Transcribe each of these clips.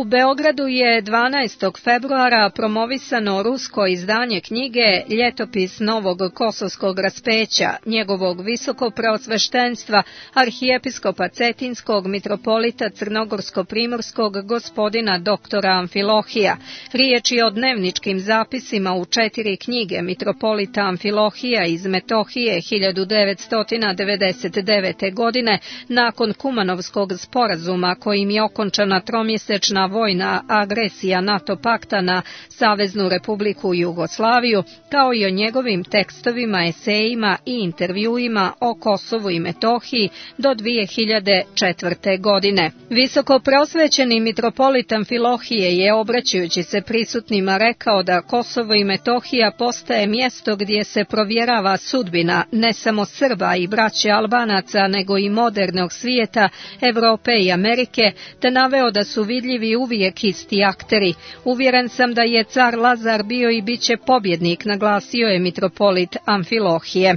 Beogradu je 12. februara promovisano rusko izdanje knjige Ljetopis novog kosovskog raspeća, njegovog visokopreosveštenstva, arhijepiskopa Cetinskog, mitropolita Crnogorsko-primorskog gospodina doktora Amfilohija. Riječ je o dnevničkim zapisima u 4 knjige mitropolita Amfilohija iz Metohije 1999. godine nakon Kumanovskog sporazuma kojim je okončana tromjesečna vojna agresija NATO pakta na Saveznu Republiku Jugoslaviju, kao i o njegovim tekstovima, esejima i intervjuima o Kosovu i Metohiji do 2004. godine. Visoko preosvećeni mitropolit Amfilohije je, obraćajući se prisutnima, rekao da Kosovo i Metohija postaje mjesto gdje se provjerava sudbina ne samo Srba i braće Albanaca, nego i modernog svijeta, Evrope i Amerike, te naveo da su vidljivi uvijek isti akteri. Uvjeren sam da je car Lazar bio i bit će pobjednik, naglasio je mitropolit Amfilohije.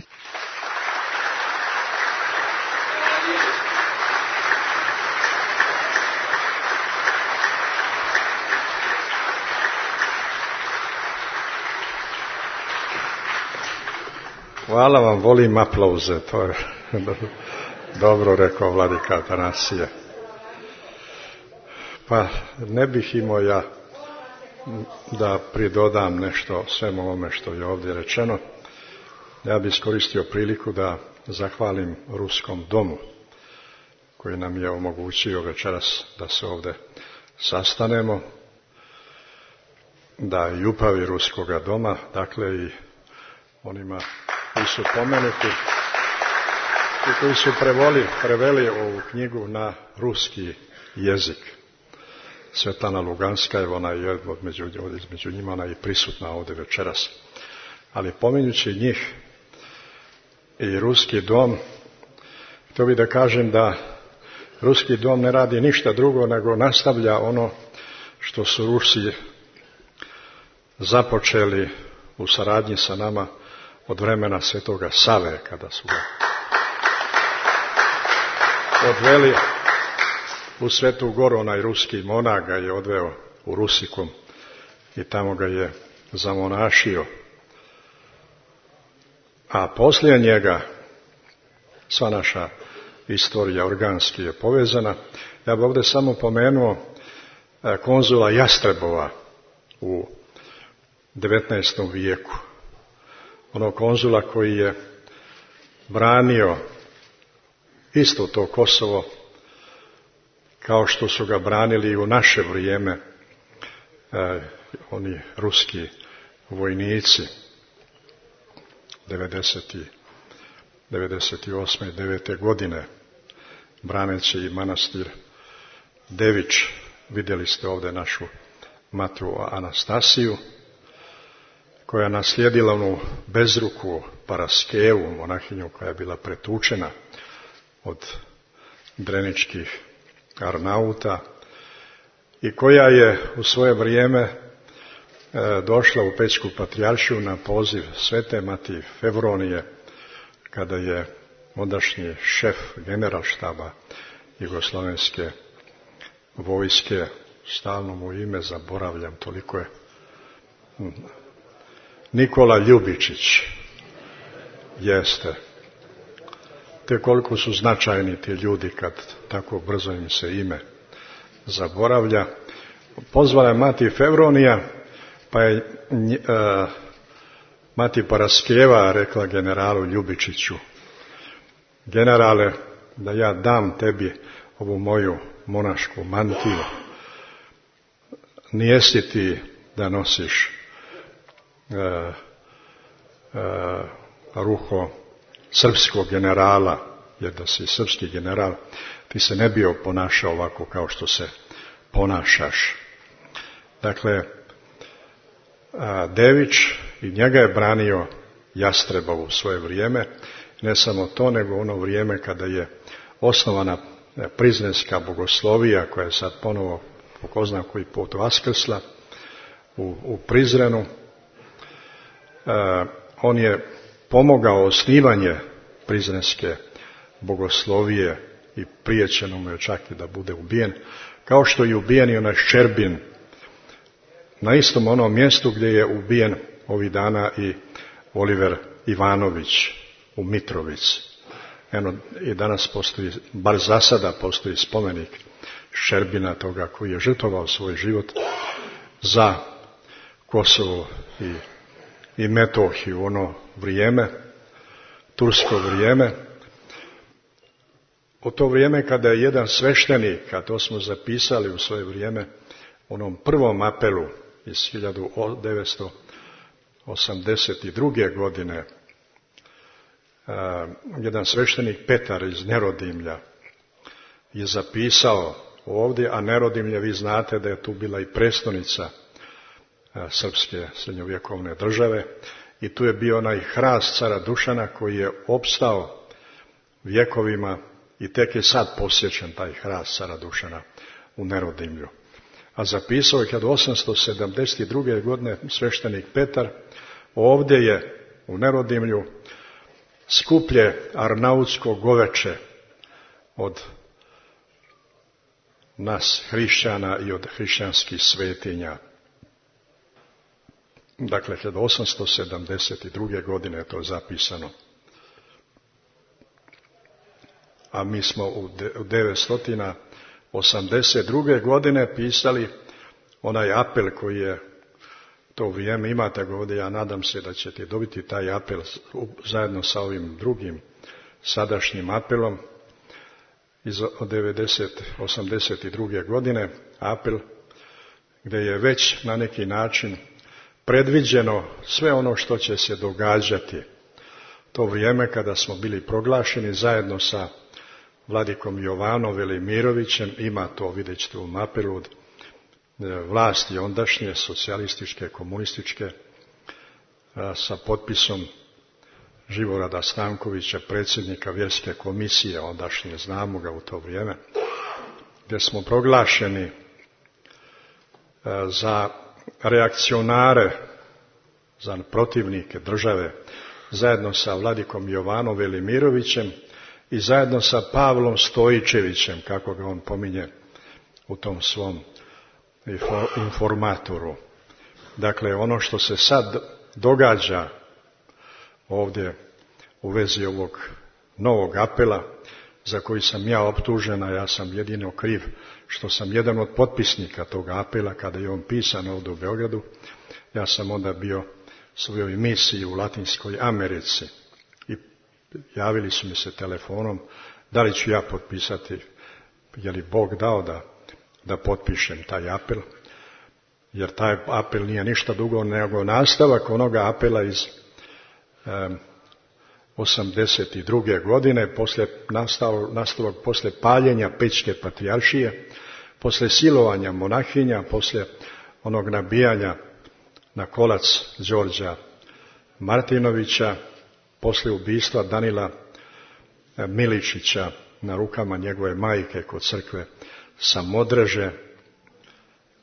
Hvala vam, volim aplauze, to je dobro rekao vladika Atanasije. Pa ne bih imao ja da pridodam nešto svemu ovome što je ovdje rečeno. Ja bih iskoristio priliku da zahvalim Ruskom domu koji nam je omogućio večeras da se ovdje sastanemo, da i upravi Ruskoga doma, dakle i onima koji su pomenuti i koji su preveli ovu knjigu na ruski jezik. Svetlana Luganska, ona je među njima, ona je prisutna ovdje večeras. Ali pominjući njih i Ruski dom, htio bih da kažem da Ruski dom ne radi ništa drugo nego nastavlja ono što su Rusi započeli u saradnji sa nama od vremena Svetoga Save, kada su ga odveli u Svetu Goru, onaj ruski monah ga je odveo u Rusikom i tamo ga je zamonašio. A poslije njega sva naša istorija organski je povezana. Ja bih ovdje samo pomenuo konzula Jastrebova u 19. vijeku. Onog konzula koji je branio isto to Kosovo kao što su ga branili u naše vrijeme oni ruski vojnici 98. i 9. godine braneći i manastir Dević. Vidjeli ste ovdje našu matru Anastasiju koja je naslijedila onu bezruku Paraskevu, monahinju koja je bila pretučena od dreničkih Arnauta i koja je u svoje vrijeme došla u Pećku patrijaršiju na poziv Svete Mati Fevronije, kada je ondašnji šef generalštaba Jugoslovenske vojske, stalno mu ime zaboravljam, toliko je, Nikola Ljubičić, jeste. Te koliko su značajni ti ljudi kad tako brzo im se ime zaboravlja. Pozvala je Mati Fevronija, pa je Mati Paraskeva rekla generalu Ljubičiću: generale, da ja dam tebi ovu moju monašku mantiju, nijesi ti da nosiš ruho srpskog generala, jer da si srpski general, ti se ne bi ponašao ovako kao što se ponašaš. Dakle, Dević i njega je branio Jastrebov u svoje vrijeme. Ne samo to, nego ono vrijeme kada je osnovana Prizrenska bogoslovija, koja je sad ponovo po ko zna koji put vaskrsla u Prizrenu. On je pomogao osnivanje Prizrenske bogoslovije i prijećeno mu je čak i da bude ubijen, kao što je ubijen i onaj Ščerbin na istom onom mjestu gdje je ubijen ovih dana i Oliver Ivanović u Mitrovici. Eno, i danas postoji, bar za sada postoji spomenik Ščerbina, toga koji je žrtvovao svoj život za Kosovo i Metohiju, ono vrijeme, tursko vrijeme. U to vrijeme kada je jedan sveštenik, a to smo zapisali u svoje vrijeme, onom prvom apelu iz 1982. godine, jedan sveštenik Petar iz Nerodimlja je zapisao ovdje, a Nerodimlje, vi znate da je tu bila i prestolnica srpske srednjovjekovne države i tu je bio onaj hrast cara Dušana koji je opstao vjekovima i tek je sad posjećen taj hrast cara Dušana u Nerodimlju. A zapisao je 1872. godine sveštenik Petar, ovdje je u Nerodimlju skuplje arnautsko goveče od nas hrišćana i od hrišćanskih svetinja. Dakle, 1872. godine je to zapisano. A mi smo u 982. godine pisali onaj apel koji je to vrijeme, imate ga ovdje, ja nadam se da ćete dobiti taj apel zajedno sa ovim drugim sadašnjim apelom iz 82. godine, apel gdje je već na neki način predviđeno sve ono što će se događati. To vrijeme kada smo bili proglašeni zajedno sa vladikom Jovanom Velimirovićem, ima to, vidjet ćete u apelu, od vlasti ondašnje, socijalističke, komunističke, sa potpisom Živorada Stankovića, predsjednika vjerske komisije ondašnje, znamo ga u to vrijeme, gdje smo proglašeni za reakcionare, za protivnike države, zajedno sa vladikom Jovanom Velimirovićem i zajedno sa Pavlom Stojičevićem, kako ga on pominje u tom svom informatoru. Dakle, ono što se sad događa ovdje u vezi ovog novog apela, za koji sam ja optužen, a ja sam jedino kriv što sam jedan od potpisnika tog apela kada je on pisan ovdje u Beogradu. Ja sam onda bio svojoj misiji u Latinskoj Americi i javili su mi se telefonom da li ću ja potpisati, je li Bog dao da potpišem taj apel, jer taj apel nije ništa drugo nego nastavak onoga apela iz 82. godine, nastavak posle paljenja Pećke patrijaršije, posle silovanja monahinja, posle onog nabijanja na kolac Đorđa Martinovića, posle ubistva Danila Miličića na rukama njegove majke kod crkve Samodreže.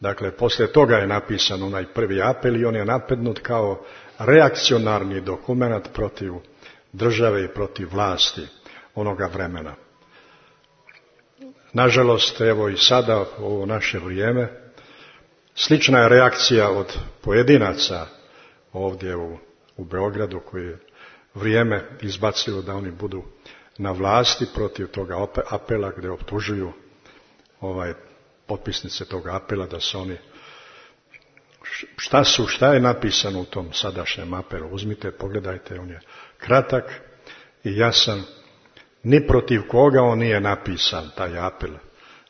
Dakle, poslije toga je napisan onaj prvi apel i on je napadnut kao reakcionarni dokument protiv države i protiv vlasti onoga vremena. Nažalost, evo i sada u ovo naše vrijeme, slična je reakcija od pojedinaca ovdje u Beogradu koji je vrijeme izbacilo da oni budu na vlasti protiv toga apela gdje optužuju potpisnice toga apela da su oni, šta je napisano u tom sadašnjem apelu, uzmite, pogledajte, on je kratak i jasan, ni protiv koga on nije napisan taj apel,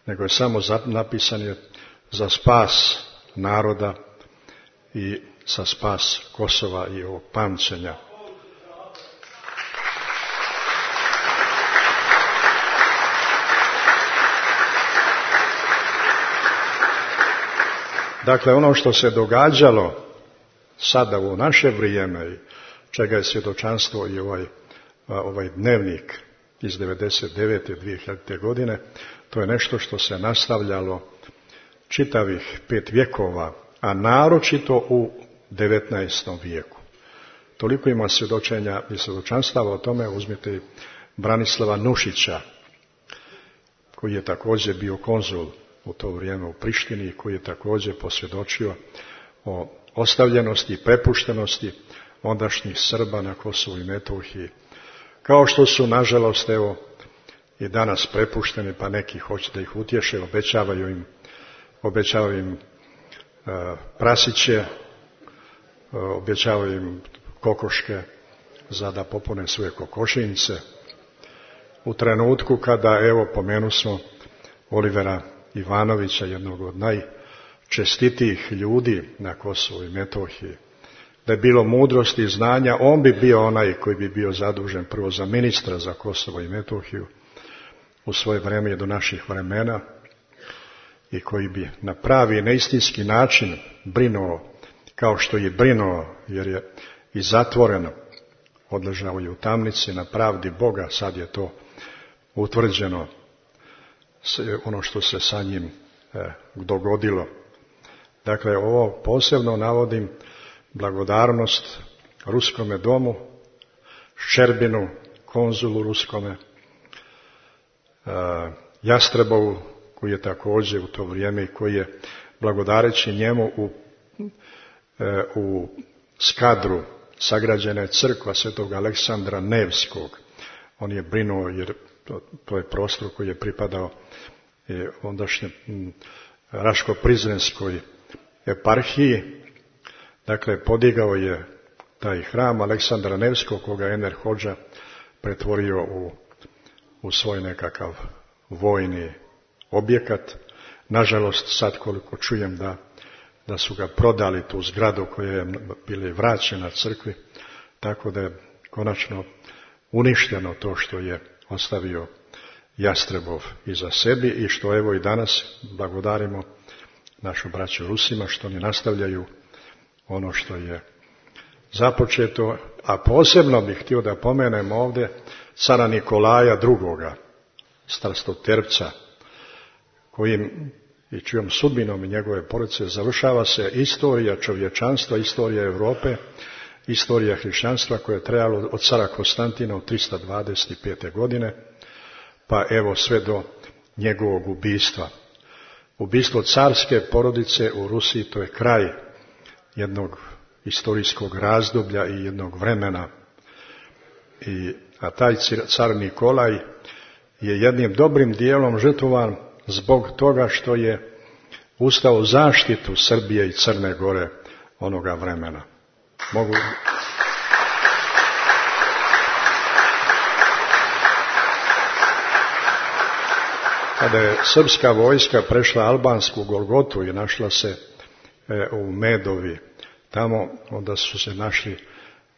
nego je samo napisan je za spas naroda i za spas Kosova i ovog pamćenja. Dakle, ono što se događalo sada u naše vrijeme i čega je svjedočanstvo i ovaj dnevnik iz 99. 2000. godine, to je nešto što se nastavljalo čitavih 5 vjekova, a naročito u 19. vijeku. Toliko ima svjedočenja i svjedočanstava o tome, uzmite Branislava Nušića, koji je također bio konzul u to vrijeme u Prištini i koji je također posvjedočio o ostavljenosti i prepuštenosti ondašnjih Srba na Kosovu i Metohiji. Kao što su, nažalost, evo, i danas prepušteni, pa neki hoće da ih utješe, obećavaju im prasiće, obećavaju im kokoške za da popune svoje kokošinjice. U trenutku kada, evo, pomenu smo Olivera Ivanovića, jednog od najčestitijih ljudi na Kosovu i Metohiji, da je bilo mudrosti i znanja, on bi bio onaj koji bi bio zadužen prvo za ministra za Kosovo i Metohiju u svoje vrijeme i do naših vremena i koji bi na pravi, na istinski način brinuo kao što je brinuo, jer je i zatvoreno, odležao je u tamnici na pravdi Boga, sad je to utvrđeno, ono što se sa njim dogodilo. Dakle, ovo posebno navodim blagodarnost Ruskome domu, Ščerbinu, konzulu Ruskome, Jastrebovu, koji je također u to vrijeme i koji je, blagodareći njemu, u Skadru sagrađena je crkva Svetog Aleksandra Nevskog. On je brinuo, jer to je prostor koji je pripadao ondašnje Raško-Prizrenskoj eparhiji. Dakle, podigao je taj hram Aleksandra Nevskog, koga Enver Hodža pretvorio u svoj nekakav vojni objekat. Nažalost, sad koliko čujem da su ga prodali, tu zgradu koja je bila vraćena crkvi, tako da je konačno uništeno to što je ostavio Jastrebov iza sebi i što evo i danas blagodarimo našu braću Rusima, što oni nastavljaju ono što je započeto, a posebno bih htio da pomenem ovdje cara Nikolaja II. Strastoterpca, kojim i čijom sudbinom i njegove porodice završava se istorija čovječanstva, istorija Europe, istorija hrišćanstva koja je trajala od cara Konstantina od 325. godine, pa evo sve do njegovog ubistva. Ubistvo carske porodice u Rusiji, to je kraj jednog historijskog razdoblja i jednog vremena. A taj car Nikolaj je jednim dobrim dijelom žrtvovan zbog toga što je ustao u zaštitu Srbije i Crne Gore onoga vremena. Kada je srpska vojska prešla albansku Golgotu i našla se u Medovi, tamo onda su se našli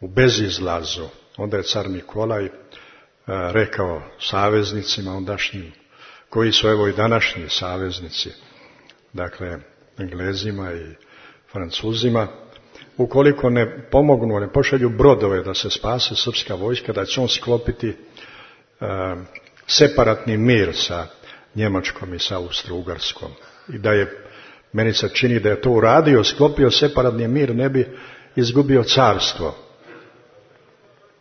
u bezizlazu. Onda je car Nikolaj rekao saveznicima ondašnjim, koji su evo i današnji saveznici, dakle Englezima i Francuzima, ukoliko ne pomognu, ne pošalju brodove da se spase srpska vojska, da će on sklopiti separatni mir sa Njemačkom i sa Austro-Ugarskom. I da je, meni se čini da je to uradio, sklopio separatni mir, ne bi izgubio carstvo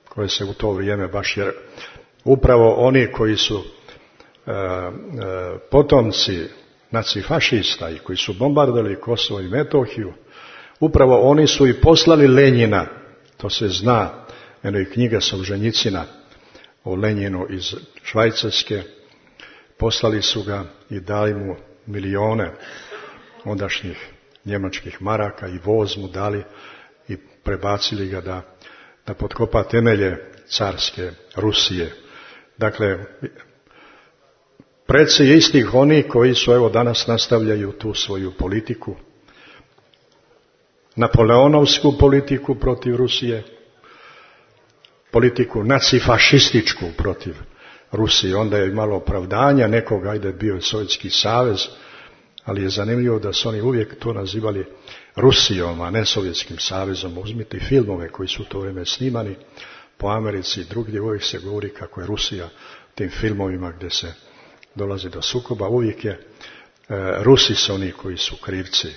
koje se u to vrijeme baš, jer upravo oni koji su potomci nacifašista i koji su bombardovali Kosovo i Metohiju, upravo oni su i poslali Lenjina, to se zna, eno i knjiga Solženjicina o Lenjinu iz Švajcarske, poslali su ga i dali mu milione ondašnjih njemačkih maraka i voz mu dali i prebacili ga da potkopa temelje carske Rusije. Dakle, preci istih oni koji su evo danas nastavljaju tu svoju politiku, napoleonovsku politiku protiv Rusije, politiku nacifašističku protiv Rusije. Onda je imalo opravdanja nekoga, ajde bio je Sovjetski savez, ali je zanimljivo da su oni uvijek to nazivali Rusijom, a ne Sovjetskim savezom. Uzmite filmove koji su u to vrijeme snimani po Americi i drugdje, uvijek se govori kako je Rusija tim filmovima gdje se dolazi do sukoba, uvijek je Rusi su oni koji su krivci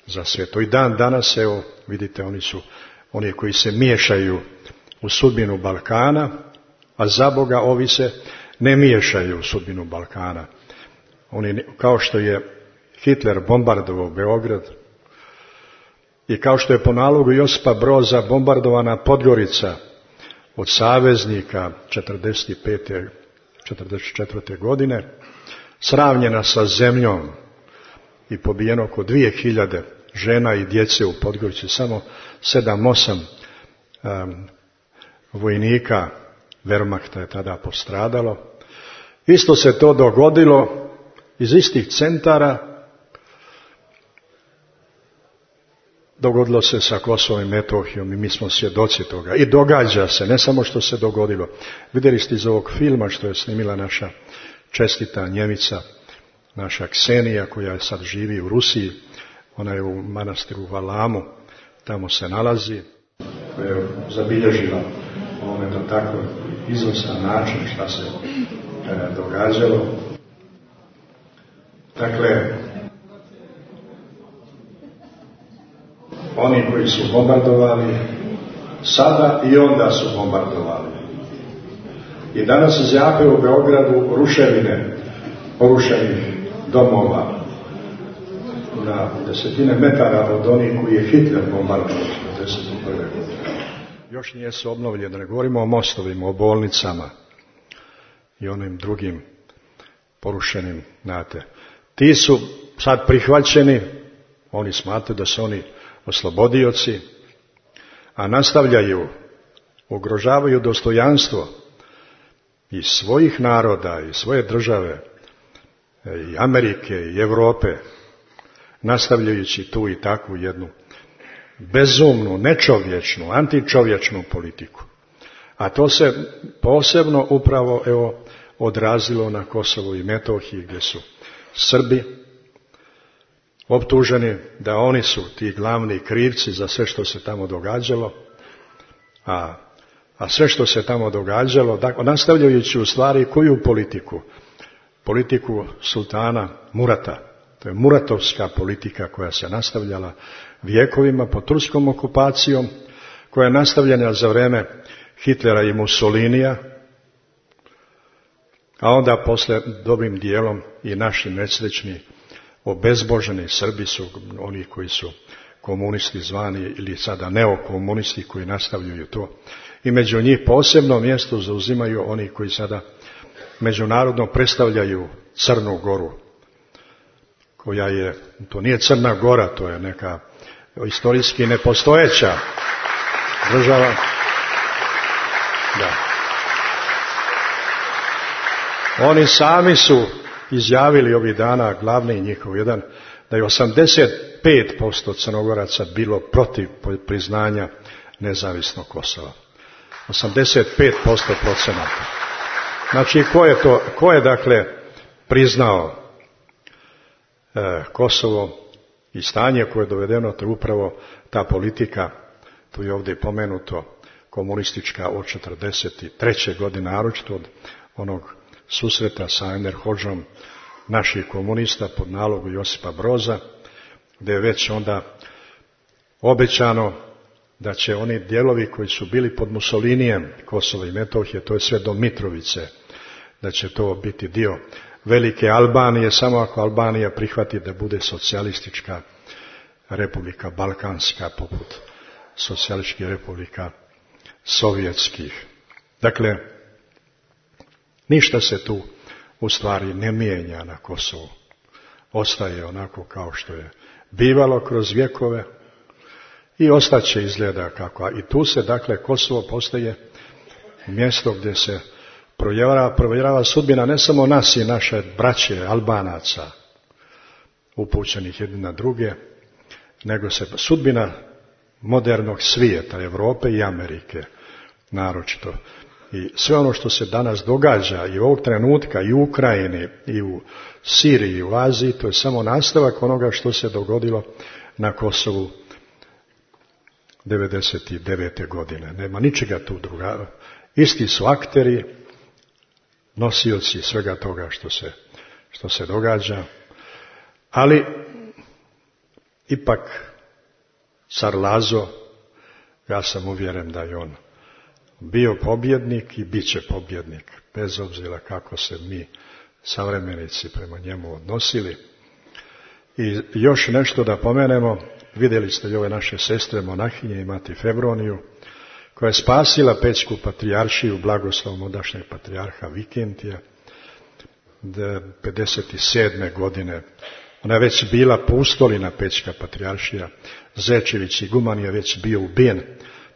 za sve to. I dan danas, evo, vidite, oni su oni koji se miješaju u sudbinu Balkana, a za Boga ovi se ne miješaju u sudbinu Balkana. kao što je Hitler bombardovao Beograd i kao što je po nalogu Josipa Broza bombardovana Podgorica od saveznika 45. 44. godine, sravnjena sa zemljom i pobijeno oko 2000 žena i djece u Podgorici, samo 7-8 vojnika Wehrmachta je tada postradalo. Isto se to dogodilo iz istih centara. Dogodilo se sa Kosovom i Metohijom i mi smo svjedoci toga. I događa se, ne samo što se dogodilo. Vidjeli ste iz ovog filma što je snimila naša čestita Njemica, naša Ksenija koja sad živi u Rusiji. Ona je u manastiru Valamu, tamo se nalazi, koja je zabilježila ovome to tako izvrstan način šta se događalo. Dakle, oni koji su bombardovali sada i onda su bombardovali. I danas zjape u Beogradu ruševine porušenih domova na desetine metara od onih koji je Hitler bombardovao 1941. godine. Još nije se obnovljeno, da ne govorimo o mostovima, o bolnicama i onim drugim porušenim, znate. Ti su sad prihvaćeni, oni smatraju da su oni oslobodioci, a nastavljaju, ugrožavaju dostojanstvo i svojih naroda i svoje države, i Amerike i Europe, nastavljajući tu i takvu jednu bezumnu, nečovječnu, antičovječnu politiku. A to se posebno upravo odrazilo na Kosovu i Metohiji, gdje su Srbi optuženi da oni su ti glavni krivci za sve što se tamo događalo, a sve što se tamo događalo, nastavljajući u stvari koju politiku? Politiku sultana Murata. To je muratovska politika koja se nastavljala vjekovima pod turskom okupacijom, koja je nastavljena za vrijeme Hitlera i Mussolinija, a onda poslije dobrim dijelom i naši nesrećni obezboženi Srbi su oni koji su komunisti zvani ili sada neokomunisti koji nastavljaju to. I među njih posebno mjesto zauzimaju oni koji sada međunarodno predstavljaju Crnu Goru, koja je, to nije Crna Gora, to je neka istorijski nepostojeća država. Da. Oni sami su izjavili ovih dana, glavni njihov jedan, da je 85% Crnogoraca bilo protiv priznanja nezavisnog Kosova. 85% procenata. Znači, ko je dakle priznao Kosovo i stanje koje je dovedeno, to je upravo ta politika, tu je ovdje pomenuto, komunistička od 1943. godine, naročito od onog susreta sa Enver Hodžom naših komunista pod nalogu Josipa Broza, gdje je već onda obećano da će oni dijelovi koji su bili pod Mussolinijem, Kosova i Metohije, to je sve do Mitrovice, da će to biti dio velike Albanije, samo ako Albanija prihvati da bude socijalistička republika, balkanska, poput socijalističkih republika sovjetskih. Dakle, ništa se tu u stvari ne mijenja na Kosovu. Ostaje onako kao što je bivalo kroz vjekove i ostaće izgleda kako. I tu se, dakle, Kosovo postaje mjesto gdje se provjerava sudbina ne samo nas i naše braće Albanaca, upućenih jedni na druge, nego se sudbina modernog svijeta, Europe i Amerike, naročito. I sve ono što se danas događa i ovog trenutka i u Ukrajini i u Siriji i u Aziji, to je samo nastavak onoga što se dogodilo na Kosovu 1999. godine. Nema ničega tu druga. Isti su akteri, nosioci svega toga što se događa, ali ipak car Lazo, ja sam uvjeren da je on bio pobjednik i bit će pobjednik, bez obzira kako se mi savremenici prema njemu odnosili. I još nešto da pomenemo, vidjeli ste i ove naše sestre monahinje i mati Fevroniju, koja je spasila Pećku patrijaršiju blagoslovom ondašnjeg patrijarha Vikentija 57. godine. Ona je već bila pustolina Pećka patrijaršija. Zečević iguman je već bio ubijen,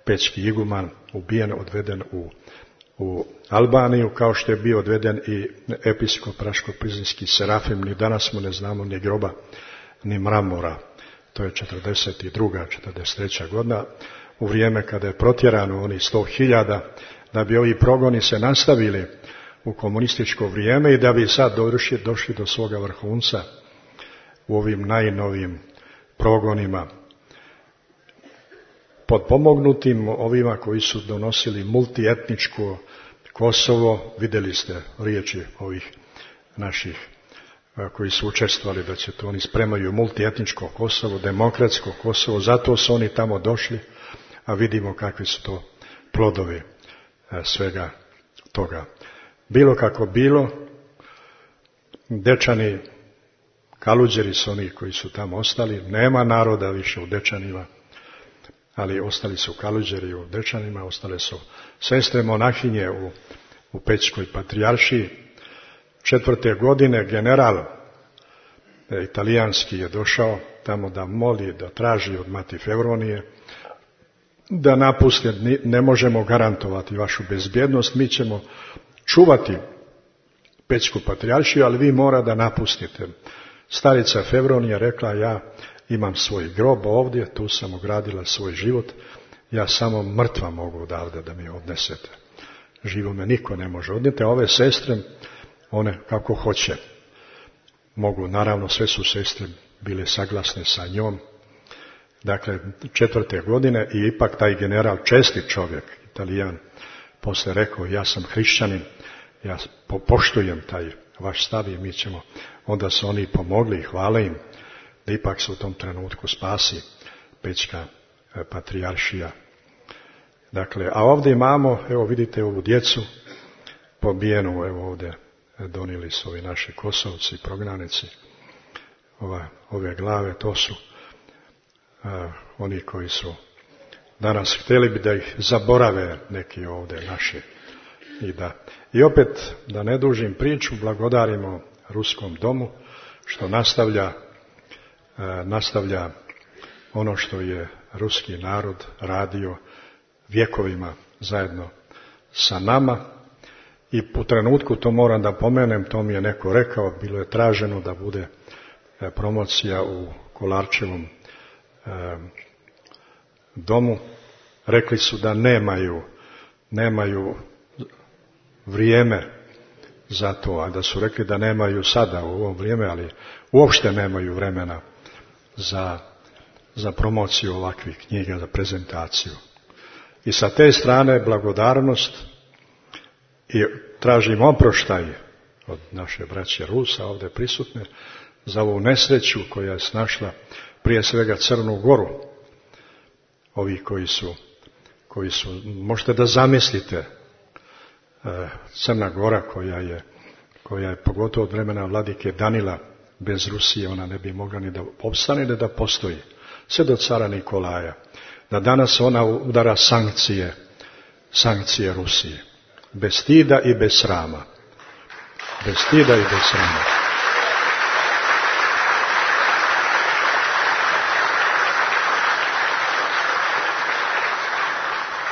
Pećki iguman ubijen, odveden u Albaniju, kao što je bio odveden i episkop Raško-Prizinski Serafim. Ni danas mu ne znamo ni groba, ni mramora. To je 42. 43. godina, u vrijeme kada je protjerano oni 100.000, da bi ovi progoni se nastavili u komunističko vrijeme i da bi sad došli do svoga vrhunca u ovim najnovijim progonima. Potpomognutim ovima koji su donosili multietničko Kosovo, vidjeli ste riječi ovih naših koji su učestvovali da će to oni spremaju multietničko Kosovo, demokratsko Kosovo, zato su oni tamo došli, a vidimo kakvi su to plodovi svega toga. Bilo kako bilo, Dečani, Kaluđeri su oni koji su tamo ostali, nema naroda više u Dečanima, ali ostali su Kaluđeri u Dečanima, ostale su sestre monahinje u Pećkoj patrijaršiji. 4. godine general italijanski je došao tamo da moli, da traži od mati Fevronije da napuste, ne možemo garantovati vašu bezbjednost, mi ćemo čuvati Pećku patrijaršiju, ali vi mora da napustite. Starica Fevronija rekla, ja imam svoj grob ovdje, tu sam ogradila svoj život, ja samo mrtva mogu odavde da mi odnesete. Živo me niko ne može odnijeti, a ove sestre, one kako hoće. Mogu, naravno, sve su sestre bile saglasne sa njom. Dakle, 4. godine i ipak taj general, čestit čovjek, Italijan, posle rekao, ja sam hrišćanin, ja poštujem taj vaš stav i mi ćemo, onda su oni pomogli i hvala im da ipak se u tom trenutku spasi Pećka patrijaršija. Dakle, a ovdje imamo, evo vidite ovu djecu pobijenu, evo ovdje donijeli su ovi naši Kosovci, prognanici, ove glave, to su oni koji su danas htjeli bi da ih zaborave neki ovdje naši. I opet, da ne dužim priču, blagodarimo Ruskom domu što nastavlja ono što je ruski narod radio vjekovima zajedno sa nama. I u trenutku, to moram da pomenem, to mi je neko rekao, bilo je traženo da bude promocija u Kolarčevom domu. Rekli su da nemaju vrijeme za to, a da su rekli da nemaju sada u ovom vrijeme, ali uopšte nemaju vremena za promociju ovakvih knjiga, za prezentaciju. I sa te strane blagodarnost i tražim oproštaj od naše braće Rusa ovdje prisutne za ovu nesreću koja je snašla prije svega Crnu Goru. Ovi koji su, možete da zamislite, Crna Gora koja je pogotovo od vremena vladike Danila, bez Rusije ona ne bi mogla ni da opstane, ni da postoji. Sve do cara Nikolaja. Da danas ona udara sankcije Rusije. Bez stida i bez srama. Bez stida i bez srama.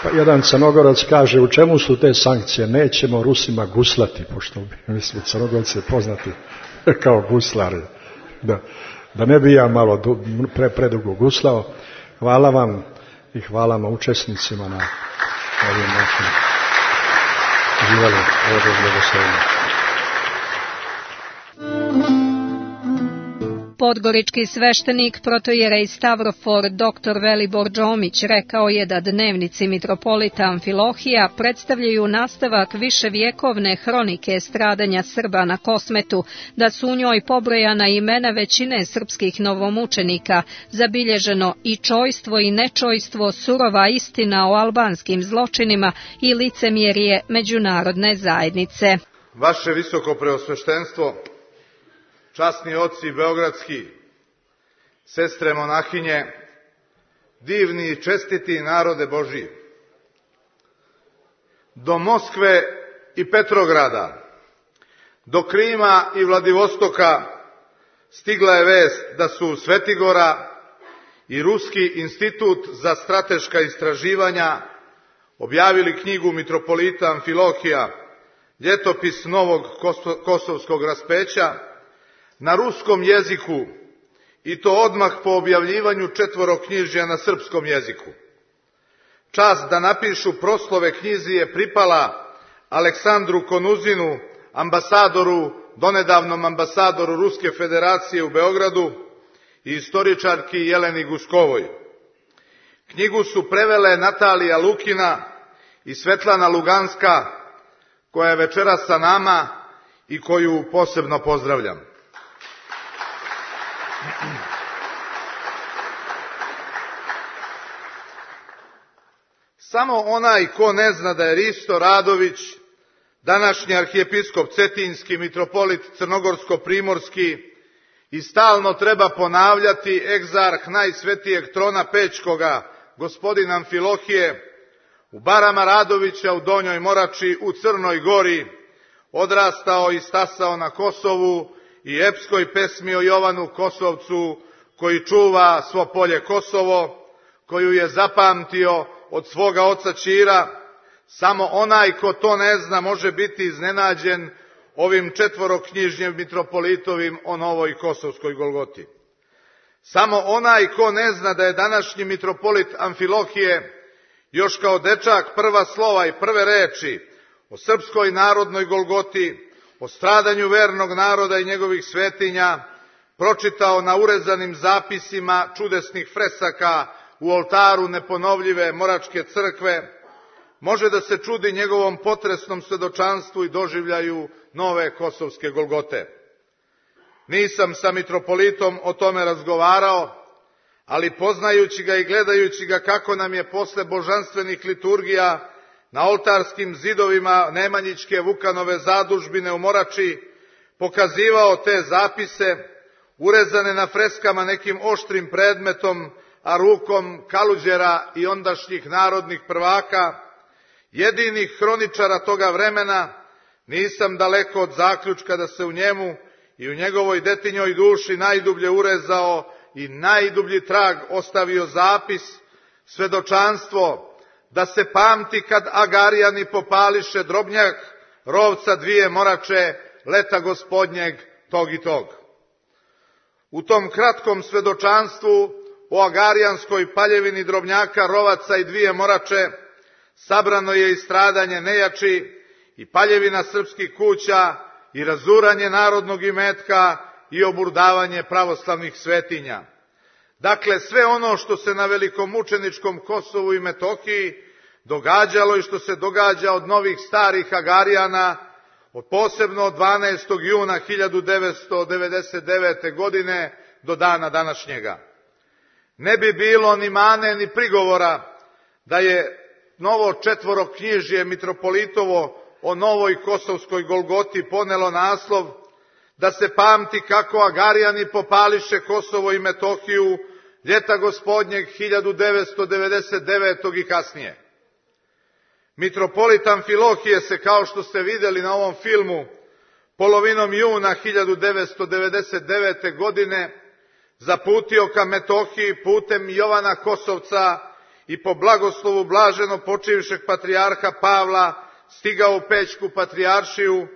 Pa jedan Crnogorac kaže, u čemu su te sankcije? Nećemo Rusima guslati, pošto mislim Crnogorci je poznati kao guslari. Da ne bi ja malo predugo guslao. Hvala vam i hvala učesnicima na ovim našim živali ovdje blagoslovima. Podgorički sveštenik protojerej Stavrofor dr. Velibor Đomić rekao je da dnevnici mitropolita Amfilohija predstavljaju nastavak viševjekovne hronike stradanja Srba na Kosmetu, da su u njoj pobrojana imena većine srpskih novomučenika, zabilježeno i čojstvo i nečojstvo, surova istina o albanskim zločinima i licemjerje međunarodne zajednice. Vaše visoko preosveštenstvo, časni oci beogradski, sestre monahinje, divni i čestiti narode Božji. Do Moskve i Petrograda, do Krima i Vladivostoka stigla je vest da su Svetigora i Ruski institut za strateška istraživanja objavili knjigu mitropolita Amfilohija, Ljetopis novog kosovskog raspeća, na ruskom jeziku, i to odmah po objavljivanju četvoroknjižja na srpskom jeziku. Čast da napišu proslove knjizi je pripala Aleksandru Konuzinu, donedavnom ambasadoru Ruske federacije u Beogradu, i istoričarki Jeleni Guskovoj. Knjigu su prevele Natalija Lukina i Svetlana Luganska, koja je večeras sa nama i koju posebno pozdravljam. Samo onaj ko ne zna da je Risto Radović, današnji arhijepiskop Cetinjski, mitropolit Crnogorsko-primorski, i stalno treba ponavljati egzarh najsvetijeg trona Pećkoga, gospodina Amfilohije, u barama Radovića u Donjoj Morači u Crnoj Gori, odrastao i stasao na Kosovu, i epskoj pesmi o Jovanu Kosovcu, koji čuva svo polje Kosovo, koju je zapamtio od svoga oca Ćira. Samo onaj ko to ne zna može biti iznenađen ovim četvoroknjižjem mitropolitovim o novoj kosovskoj Golgoti. Samo onaj ko ne zna da je današnji mitropolit Amfilohije još kao dečak prva slova i prve reči o srpskoj narodnoj Golgoti, o stradanju vernog naroda i njegovih svetinja pročitao na urezanim zapisima čudesnih fresaka u oltaru neponovljive Moračke crkve, može da se čudi njegovom potresnom svedočanstvu i doživljaju nove kosovske Golgote. Nisam sa mitropolitom o tome razgovarao, ali poznajući ga i gledajući ga kako nam je posle božanstvenih liturgija na oltarskim zidovima Nemanjićke Vukanove zadužbine u Morači pokazivao te zapise, urezane na freskama nekim oštrim predmetom, a rukom Kaluđera i ondašnjih narodnih prvaka, jedinih hroničara toga vremena, nisam daleko od zaključka da se u njemu i u njegovoj detinjoj duši najdublje urezao i najdublji trag ostavio zapis, svedočanstvo, da se pamti kad Agarijani popališe Drobnjak, rovca dvije Morače, leta gospodnjeg tog i tog. U tom kratkom svedočanstvu o Agarijanskoj paljevini Drobnjaka, rovaca i dvije Morače sabrano je i stradanje nejači, i paljevina srpskih kuća, i razuranje narodnog imetka, i oburdavanje pravoslavnih svetinja. Dakle, sve ono što se na velikomučeničkom Kosovu i Metohiji događalo i što se događa od novih starih Agarijana, posebno od 12. juna 1999. godine do dana današnjega. Ne bi bilo ni mane ni prigovora da je novo četvoroknjižje mitropolitovo o novoj kosovskoj Golgoti ponelo naslov da se pamti kako Agarijani popališe Kosovo i Metohiju ljeta gospodnjeg 1999. i kasnije. Mitropolit Amfilohije se, kao što ste videli na ovom filmu, polovinom juna 1999. godine zaputio ka Metohiji putem Jovana Kosovca i po blagoslovu blaženo počivšeg patrijarha Pavla stigao u Pećku patrijaršiju,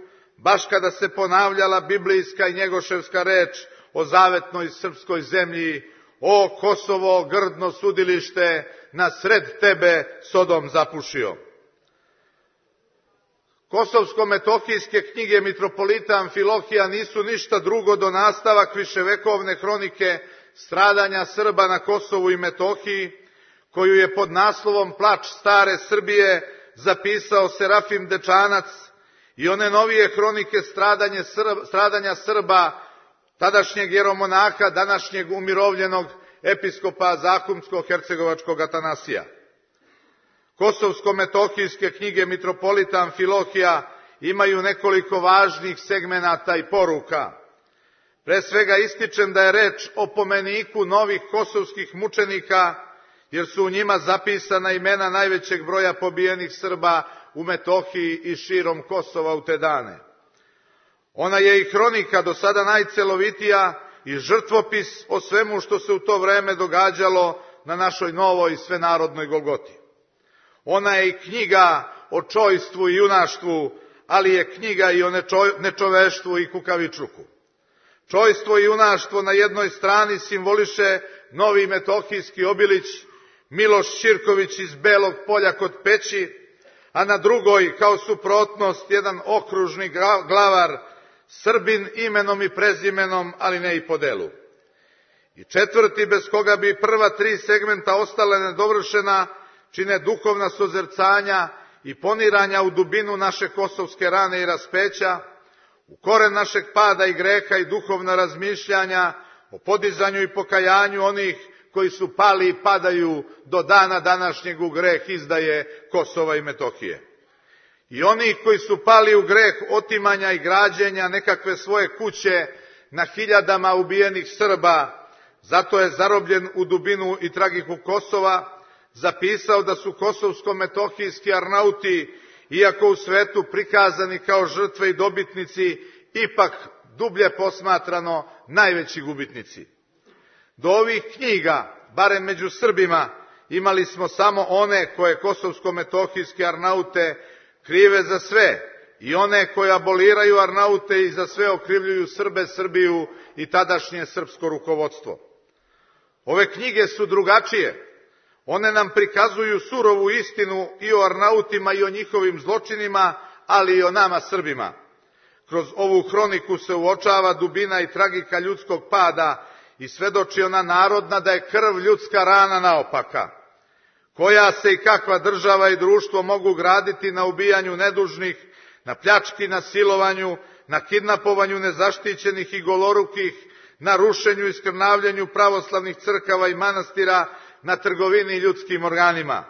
baš kada se ponavljala biblijska i njegoševska reč o zavetnoj srpskoj zemlji: o Kosovo, grdno sudilište, na sred tebe Sodom zapušio. Kosovsko-metohijske knjige mitropolita Amfilohija nisu ništa drugo do nastavak viševekovne hronike stradanja Srba na Kosovu i Metohiji, koju je pod naslovom Plač stare Srbije zapisao Serafim Dečanac, i one novije hronike stradanja Srba, tadašnjeg jeromonaha, današnjeg umirovljenog episkopa Zahumsko-hercegovačkog Atanasija. Kosovsko-metohijske knjige mitropolita Amfilohija imaju nekoliko važnih segmenata i poruka. Pre svega ističem da je reč o pomeniku novih kosovskih mučenika, jer su u njima zapisana imena najvećeg broja pobijenih Srba u Metohiji i širom Kosova u te dane. Ona je i hronika do sada najcelovitija i žrtvopis o svemu što se u to vreme događalo na našoj novoj svenarodnoj Golgoti. Ona je i knjiga o čojstvu i junaštvu, ali je knjiga i o nečoveštvu i kukavičluku. Čojstvo i junaštvo na jednoj strani simboliše novi metohijski Obilić, Miloš Ćirković iz Belog Polja kod Peći, a na drugoj, kao suprotnost, jedan okružni glavar, Srbin imenom i prezimenom, ali ne i po delu. I četvrti, bez koga bi prva tri segmenta ostale nedovršena, čine duhovna sozercanja i poniranja u dubinu naše kosovske rane i raspeća, u koren našeg pada i greha i duhovna razmišljanja o podizanju i pokajanju onih koji su pali i padaju do dana današnjeg u greh izdaje Kosova i Metohije. I onih koji su pali u greh otimanja i građenja nekakve svoje kuće na hiljadama ubijenih Srba, zato je zarobljen u dubinu i tragiku Kosova, zapisao da su kosovsko-metohijski Arnauti, iako u svetu prikazani kao žrtve i dobitnici, ipak dublje posmatrano najveći gubitnici. Do ovih knjiga, barem među Srbima, imali smo samo one koje kosovsko-metohijske Arnaute krive za sve i one koje aboliraju Arnaute i za sve okrivljuju Srbe, Srbiju i tadašnje srpsko rukovodstvo. Ove knjige su drugačije. One nam prikazuju surovu istinu i o Arnautima i o njihovim zločinima, ali i o nama Srbima. Kroz ovu hroniku se uočava dubina i tragika ljudskog pada i svedoči ona narodna da je krv ljudska rana naopaka. Koja se i kakva država i društvo mogu graditi na ubijanju nedužnih, na pljački, na silovanju, na kidnapovanju nezaštićenih i golorukih, na rušenju i skrnavljenju pravoslavnih crkava i manastira, na trgovini ljudskim organima.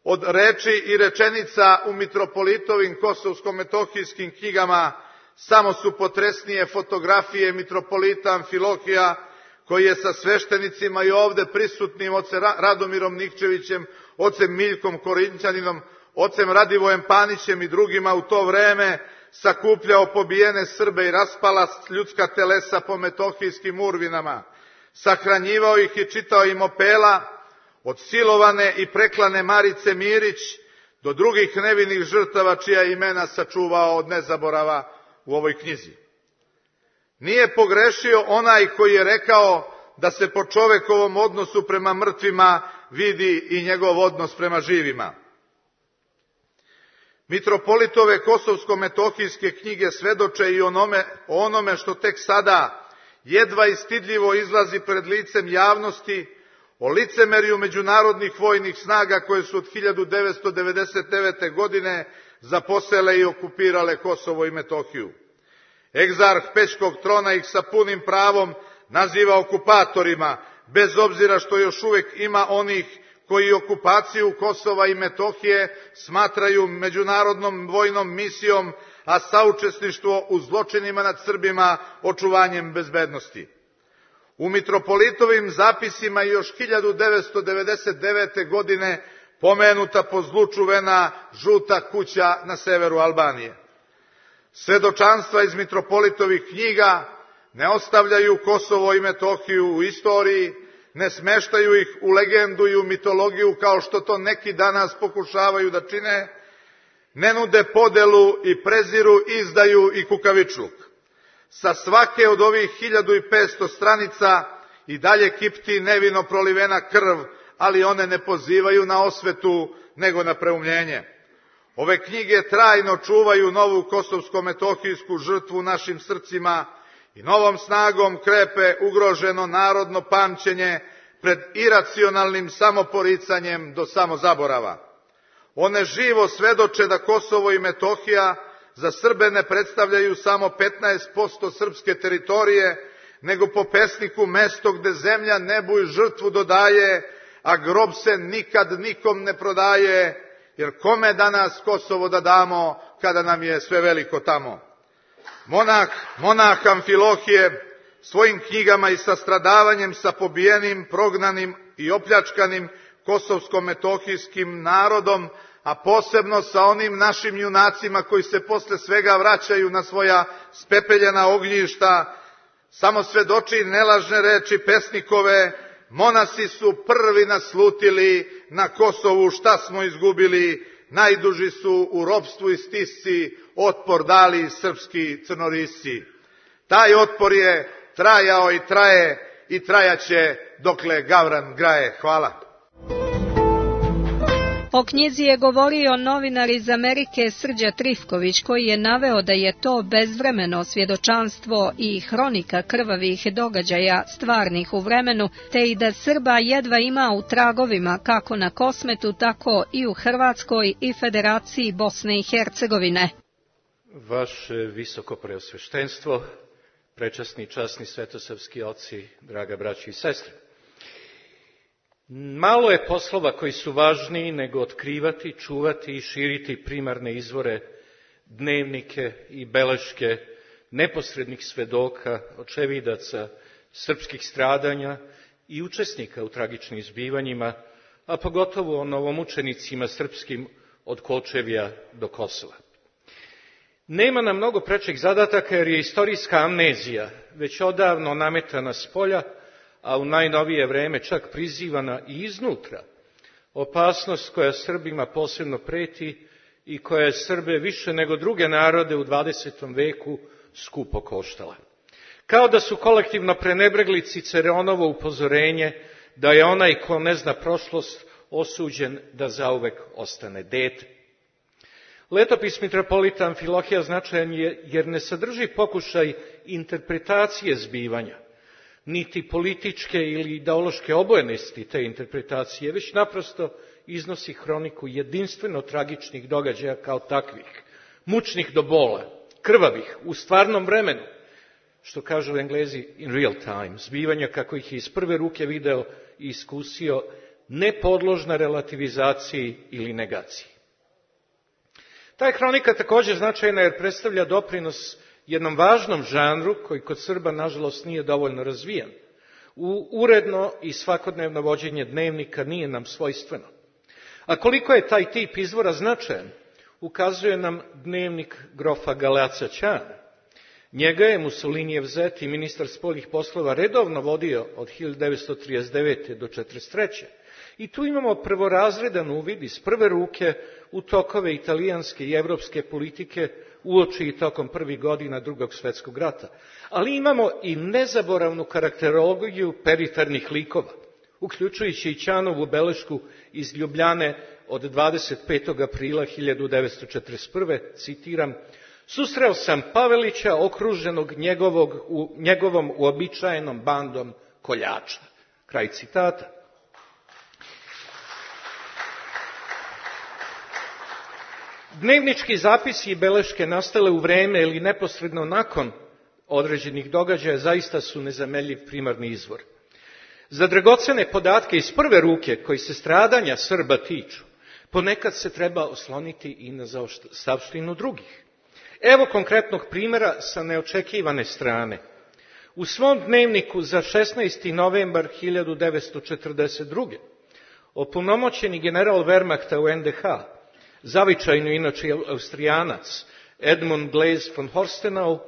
Od reči i rečenica u mitropolitovim kosovsko-metohijskim knjigama samo su potresnije fotografije mitropolita Amfilohija, koji je sa sveštenicima i ovde prisutnim ocem Radomirom Nikčevićem, ocem Miljkom Korinćaninom, ocem Radivojem Panićem i drugima u to vreme sakupljao pobijene Srbe i raspala ljudska telesa po metohijskim urvinama, sahranjivao ih i čitao im opela, od silovane i preklane Marice Mirić do drugih nevinih žrtava čija imena sačuvao od nezaborava u ovoj knjizi. Nije pogrešio onaj koji je rekao da se po čovekovom odnosu prema mrtvima vidi i njegov odnos prema živima. Mitropolitove kosovsko-metohijske knjige svedoče i o onome što tek sada jedva i stidljivo izlazi pred licem javnosti, o licemerju međunarodnih vojnih snaga koje su od 1999. godine zaposele i okupirale Kosovo i Metohiju. Egzarh Pećkog trona ih sa punim pravom naziva okupatorima, bez obzira što još uvek ima onih koji okupaciju Kosova i Metohije smatraju međunarodnom vojnom misijom, a saučesništvo u zločinima nad Srbima očuvanjem bezbednosti. U mitropolitovim zapisima još 1999. godine pomenuta po zlu čuvena žuta kuća na severu Albanije. Svedočanstva iz mitropolitovih knjiga ne ostavljaju Kosovo i Metohiju u istoriji, ne smeštaju ih u legendu i u mitologiju kao što to neki danas pokušavaju da čine, ne nude podelu i preziru, izdaju i kukavičluk. Sa svake od ovih 1500 stranica i dalje kipti nevino prolivena krv, ali one ne pozivaju na osvetu, nego na preumljenje. Ove knjige trajno čuvaju novu kosovsko-metohijsku žrtvu u našim srcima i novom snagom krepe ugroženo narodno pamćenje pred iracionalnim samoporicanjem do samozaborava. One živo svedoče da Kosovo i Metohija za Srbe ne predstavljaju samo 15% srpske teritorije, nego po pesniku mesto gde zemlja nebu i žrtvu dodaje, a grob se nikad nikom ne prodaje, jer kome danas Kosovo da damo, kada nam je sve veliko tamo. Monah Amfilohije svojim knjigama i sa stradavanjem sa pobijenim, prognanim i opljačkanim kosovsko-metohijskim narodom, a posebno sa onim našim junacima koji se posle svega vraćaju na svoja spepeljena ognjišta, samo svedoči nelažne reči pesnikove: monasi su prvi naslutili na Kosovu šta smo izgubili, najduži su u ropstvu i stisci otpor dali srpski crnorisci. Taj otpor je trajao i traje i trajaće dokle gavran graje. Hvala. O knjizi je govorio novinar iz Amerike Srđa Trifković, koji je naveo da je to bezvremeno svjedočanstvo i hronika krvavih događaja stvarnih u vremenu, te i da Srba jedva ima u tragovima kako na Kosmetu, tako i u Hrvatskoj i Federaciji Bosne i Hercegovine. Vaše visoko preosveštenstvo, prečasni i časni svetosavski oci, draga braći i sestre. Malo je poslova koji su važniji nego otkrivati, čuvati i širiti primarne izvore, dnevnike i beleške neposrednih svedoka, očevidaca srpskih stradanja i učesnika u tragičnim zbivanjima, a pogotovo o novomučenicima srpskim od Kočevja do Kosova. Nema nam mnogo prečih zadataka jer je istorijska amnezija već odavno nametana spolja, a u najnovije vreme čak prizivana i iznutra, opasnost koja Srbima posebno preti i koja je Srbe više nego druge narode u 20. veku skupo koštala. Kao da su kolektivno prenebregli Ciceronovo upozorenje da je onaj ko ne zna prošlost osuđen da zauvek ostane dete. Letopis mitropolita Amfilohija značajan je jer ne sadrži pokušaj interpretacije zbivanja, niti političke ili ideološke obojenosti te interpretacije, već naprosto iznosi hroniku jedinstveno tragičnih događaja kao takvih, mučnih do bola, krvavih, u stvarnom vremenu, što kažu Englezi in real time, zbivanja kako ih je iz prve ruke video i iskusio, nepodložna relativizaciji ili negaciji. Ta je hronika također značajna jer predstavlja doprinos jednom važnom žanru koji kod Srba, nažalost, nije dovoljno razvijen. Uredno i svakodnevno vođenje dnevnika nije nam svojstveno. A koliko je taj tip izvora značajan, ukazuje nam dnevnik grofa Galeaca Ćana. Njega je Mussolinijev zet i ministar spoljnih poslova redovno vodio od 1939. do 1943. I tu imamo prvorazredan uvid iz prve ruke u tokove italijanske i evropske politike uoči i tokom prvih godina Drugog svjetskog rata. Ali imamo i nezaboravnu karakterologiju perifernih likova, uključujući i Ćanovu belešku iz Ljubljane od 25. aprila 1941. Citiram: susreo sam Pavelića okruženog njegovom uobičajenom bandom koljača. Kraj citata. Dnevnički zapisi i beleške nastale u vreme ili neposredno nakon određenih događaja zaista su nezameljiv primarni izvor. Za dragocene podatke iz prve ruke koji se stradanja Srba tiču, ponekad se treba osloniti i na zaostavštinu drugih. Evo konkretnog primjera sa neočekivane strane. U svom dnevniku za 16. novembar 1942. opunomoćeni general Wehrmachta u NDH, zavičajno inače Austrijanac, Edmund Glaise von Horstenau,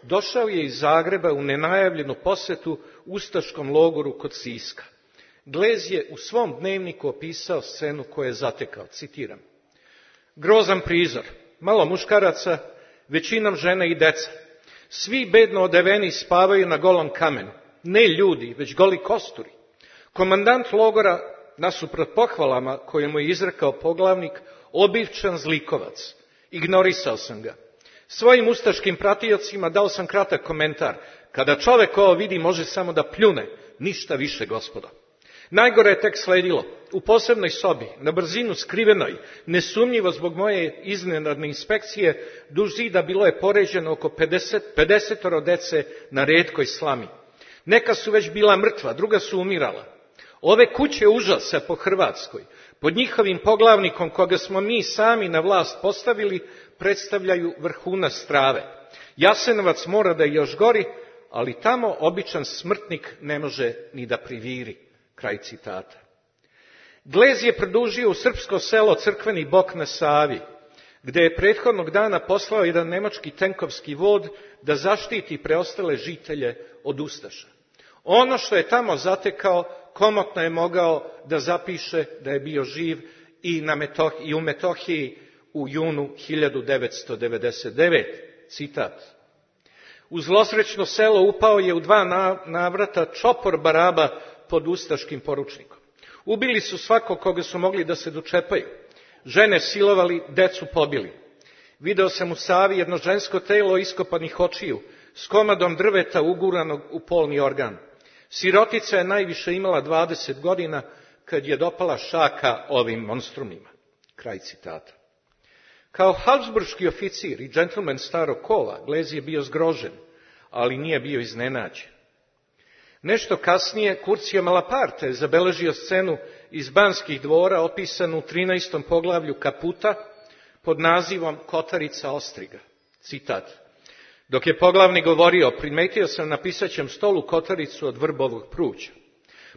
došao je iz Zagreba u nenajavljenu posjetu ustaškom logoru kod Siska. Glaise je u svom dnevniku opisao scenu koju je zatekao, citiram: grozan prizor, malo muškaraca, većinom žene i deca. Svi bedno odeveni spavaju na golom kamenu, ne ljudi, već goli kosturi. Komandant logora, nasuprot pohvalama koje mu je izrekao poglavnik, obivčan zlikovac. Ignorisao sam ga. Svojim ustaškim pratiocima dao sam kratak komentar: kada čovek ovo vidi, može samo da pljune, ništa više, gospodo. Najgore je tek sledilo. U posebnoj sobi, na brzinu skrivenoj, nesumnjivo zbog moje iznenadne inspekcije, duž zida bilo je poređeno oko 50 dece na retkoj slami. Neka su već bila mrtva, druga su umirala. Ove kuće užasa po Hrvatskoj, pod njihovim poglavnikom koga smo mi sami na vlast postavili, predstavljaju vrhunac strave. Jasenovac mora da je još gori, ali tamo običan smrtnik ne može ni da priviri. Kraj citata. Glez je produžio u srpsko selo Crkveni Bok na Savi, gde je prethodnog dana poslao jedan nemački tenkovski vod da zaštiti preostale žitelje od ustaša. Ono što je tamo zatekao, komotno je mogao da zapiše da je bio živ i u Metohiji u junu 1999. Citat. U zlosrećno selo upao je u 2 navrata čopor Baraba pod ustaškim poručnikom. Ubili su svakog koga su mogli da se dočepaju. Žene silovali, decu pobili. Video sam u Savi jedno žensko telo iskopanih očiju s komadom drveta uguranog u polni organ. Sirotica je najviše imala 20 godina kad je dopala šaka ovim monstrumima. Kraj citata. Kao habsburški oficir i džentlmen starog kova, Glez je bio zgrožen, ali nije bio iznenađen. Nešto kasnije Curcio Malaparte je zabeležio scenu iz Banskih dvora opisanu u 13. poglavlju Kaputa pod nazivom Kotarica ostriga. Citat. Dok je poglavnik govorio, primetio sam na pisaćem stolu kotaricu od vrbovog pruća.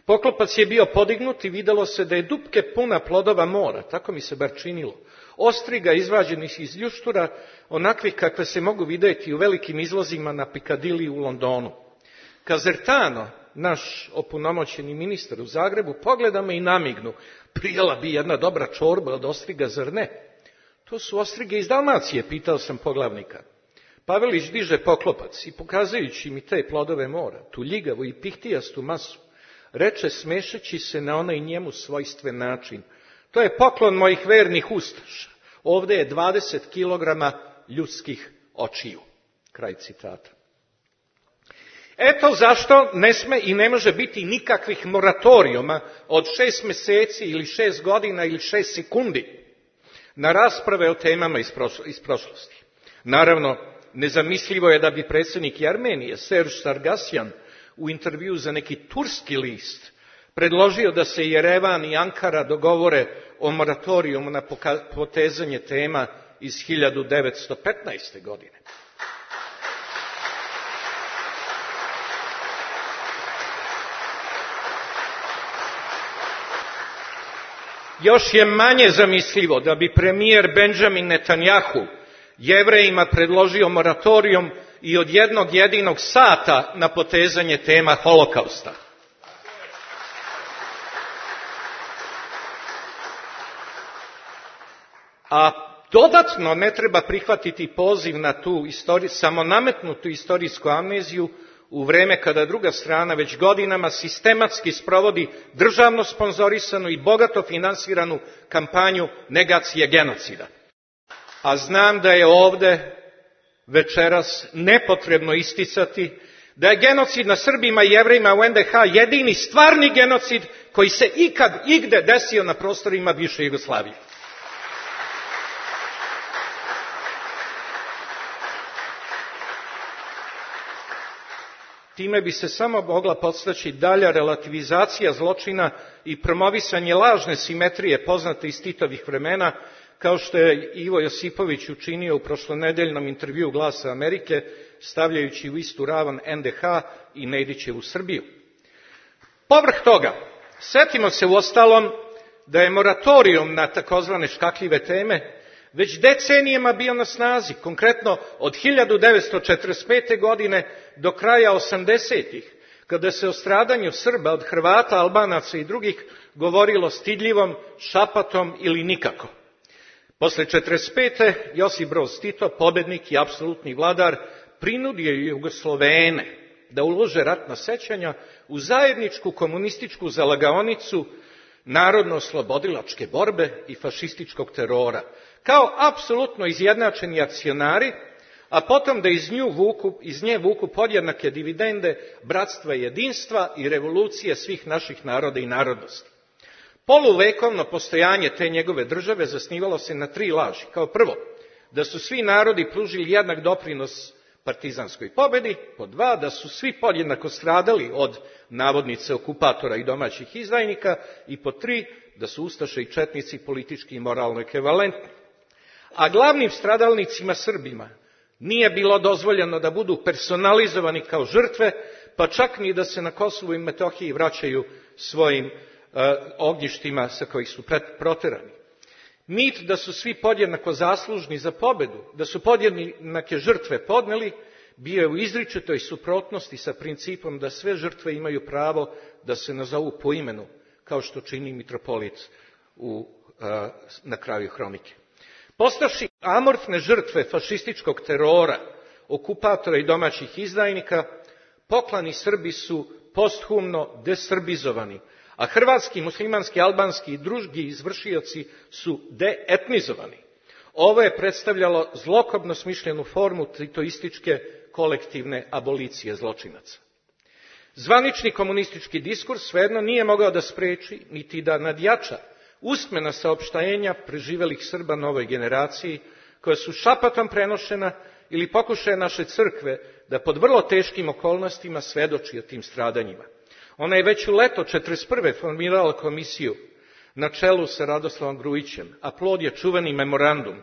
Poklopac je bio podignut i videlo se da je dupke puna plodova mora, tako mi se bar činilo. Ostriga izvađenih iz ljuštura, onakvih kakve se mogu vidjeti u velikim izlozima na Pikadiliji u Londonu. Kazertano, naš opunomoćeni ministar u Zagrebu, pogleda me i namignu. Prijela bi jedna dobra čorba od ostriga, zar ne? To su ostrige iz Dalmacije, pitao sam poglavnika. Pavelić diže poklopac i pokazujući mi te plodove mora, tu ljigavu i pihtijastu masu, reče smešeći se na onaj njemu svojstven način. To je poklon mojih vernih ustaša. Ovde je 20 kilograma ljudskih očiju. Kraj citata. Eto zašto ne sme i ne može biti nikakvih moratorijuma od 6 meseci ili 6 godina ili 6 sekundi na rasprave o temama iz prošlosti. Naravno, nezamislivo je da bi predsjednik Armenije, Serge Sargsyan, u intervju za neki turski list predložio da se Jerevan i Ankara dogovore o moratorijumu na potezanje tema iz 1915. godine. Još je manje zamislivo da bi premijer Benjamin Netanjahu Jevrejima predložio moratorijum i od jednog jedinog sata na potezanje tema Holokausta. A dodatno ne treba prihvatiti poziv na tu samonametnutu istorijsku amneziju u vreme kada druga strana već godinama sistematski sprovodi državno sponzorisanu i bogato finansiranu kampanju negacije genocida. A znam da je ovde večeras nepotrebno isticati da je genocid na Srbima i Jevrejima u NDH jedini stvarni genocid koji se ikad igde desio na prostorima bivše Jugoslavije. Time bi se samo mogla podstaći dalja relativizacija zločina i promovisanje lažne simetrije poznate iz Titovih vremena, kao što je Ivo Josipović učinio u prošlonedeljnom intervjuu Glasa Amerike, stavljajući u istu ravan NDH i Nedićevu Srbiju. Povrh toga, setimo se uostalom da je moratorijum na takozvane škakljive teme već decenijama bio na snazi, konkretno od 1945. godine do kraja 80-ih, kada se o stradanju Srba od Hrvata, Albanaca i drugih govorilo stidljivom, šapatom ili nikako. Posle 1945. Josip Broz Tito, pobednik i apsolutni vladar, prinudio je Jugoslovene da ulože ratna sećanja u zajedničku komunističku zalagaonicu narodno-oslobodilačke borbe i fašističkog terora, kao apsolutno izjednačeni akcionari, a potom da iz nje vuku podjednake dividende bratstva i jedinstva i revolucije svih naših naroda i narodnosti. Poluvekovno postojanje te njegove države zasnivalo se na 3 laži. Kao prvo, da su svi narodi pružili jednak doprinos partizanskoj pobedi, pod 2, da su svi podjednako stradali od navodnice okupatora i domaćih izdajnika, i pod 3, da su ustaše i četnici politički i moralno ekvivalentni. A glavnim stradalnicima Srbima nije bilo dozvoljeno da budu personalizovani kao žrtve, pa čak ni da se na Kosovu i Metohiji vraćaju svojim ognjištima sa kojih su proterani. Mit da su svi podjednako zaslužni za pobedu, da su podjednake žrtve podneli, bio je u izričitoj suprotnosti sa principom da sve žrtve imaju pravo da se nazovu po imenu, kao što čini mitropolit na kraju hronike. Postavši amorfne žrtve fašističkog terora, okupatora i domaćih izdajnika, poklani Srbi su posthumno desrbizovani, a hrvatski, muslimanski, albanski i drugi izvršioci su deetnizovani. Ovo je predstavljalo zlokobno smišljenu formu titoističke kolektivne abolicije zločinaca. Zvanični komunistički diskurs svejedno nije mogao da spreči, niti da nadjača usmena saopštenja preživelih Srba novoj generaciji, koja su šapatom prenošena ili pokušaje naše crkve da pod vrlo teškim okolnostima svedoči o tim stradanjima. Ona je već u leto 1941. formirala komisiju na čelu sa Radoslavom Grujićem, a plod je čuveni memorandum.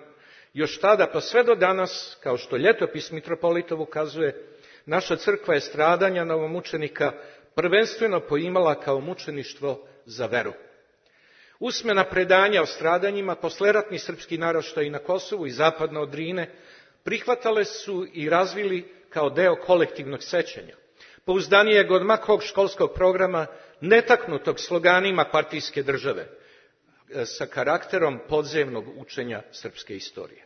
Još tada pa sve do danas, kao što ljetopis mitropolitov ukazuje, naša crkva je stradanja novomučenika prvenstveno poimala kao mučeništvo za veru. Usmena predanja o stradanjima posleratni srpski naraštaji na Kosovu i zapadno od Drine prihvatale su i razvili kao deo kolektivnog sećanja. Pouzdanijeg od makog školskog programa, netaknutog sloganima partijske države, sa karakterom podzemnog učenja srpske istorije.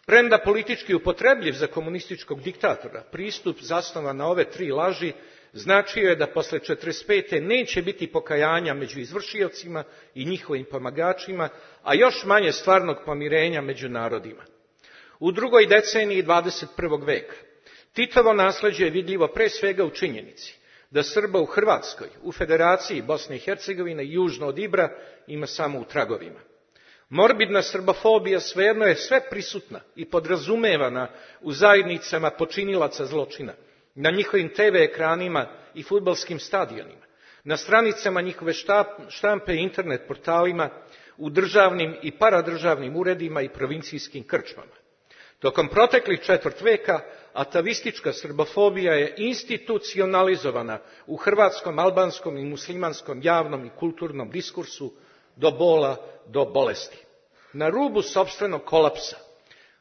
Premda politički upotrebljiv za komunističkog diktatora, pristup zasnovan na ove tri laži značio je da posle 1945. neće biti pokajanja među izvršiocima i njihovim pomagačima, a još manje stvarnog pomirenja među narodima. U drugoj deceniji 21. veka Titovo nasleđe je vidljivo pre svega u činjenici da Srba u Hrvatskoj, u Federaciji Bosne i Hercegovine i južno od Ibra ima samo u tragovima. Morbidna srbofobija svejedno je sve prisutna i podrazumevana u zajednicama počinilaca zločina, na njihovim TV ekranima i fudbalskim stadionima, na stranicama njihove štampe i internet portalima, u državnim i paradržavnim uredima i provincijskim krčmama. Tokom proteklih četvrt veka atavistička srbofobija je institucionalizovana u hrvatskom, albanskom i muslimanskom javnom i kulturnom diskursu do bola, do bolesti. Na rubu sopstvenog kolapsa,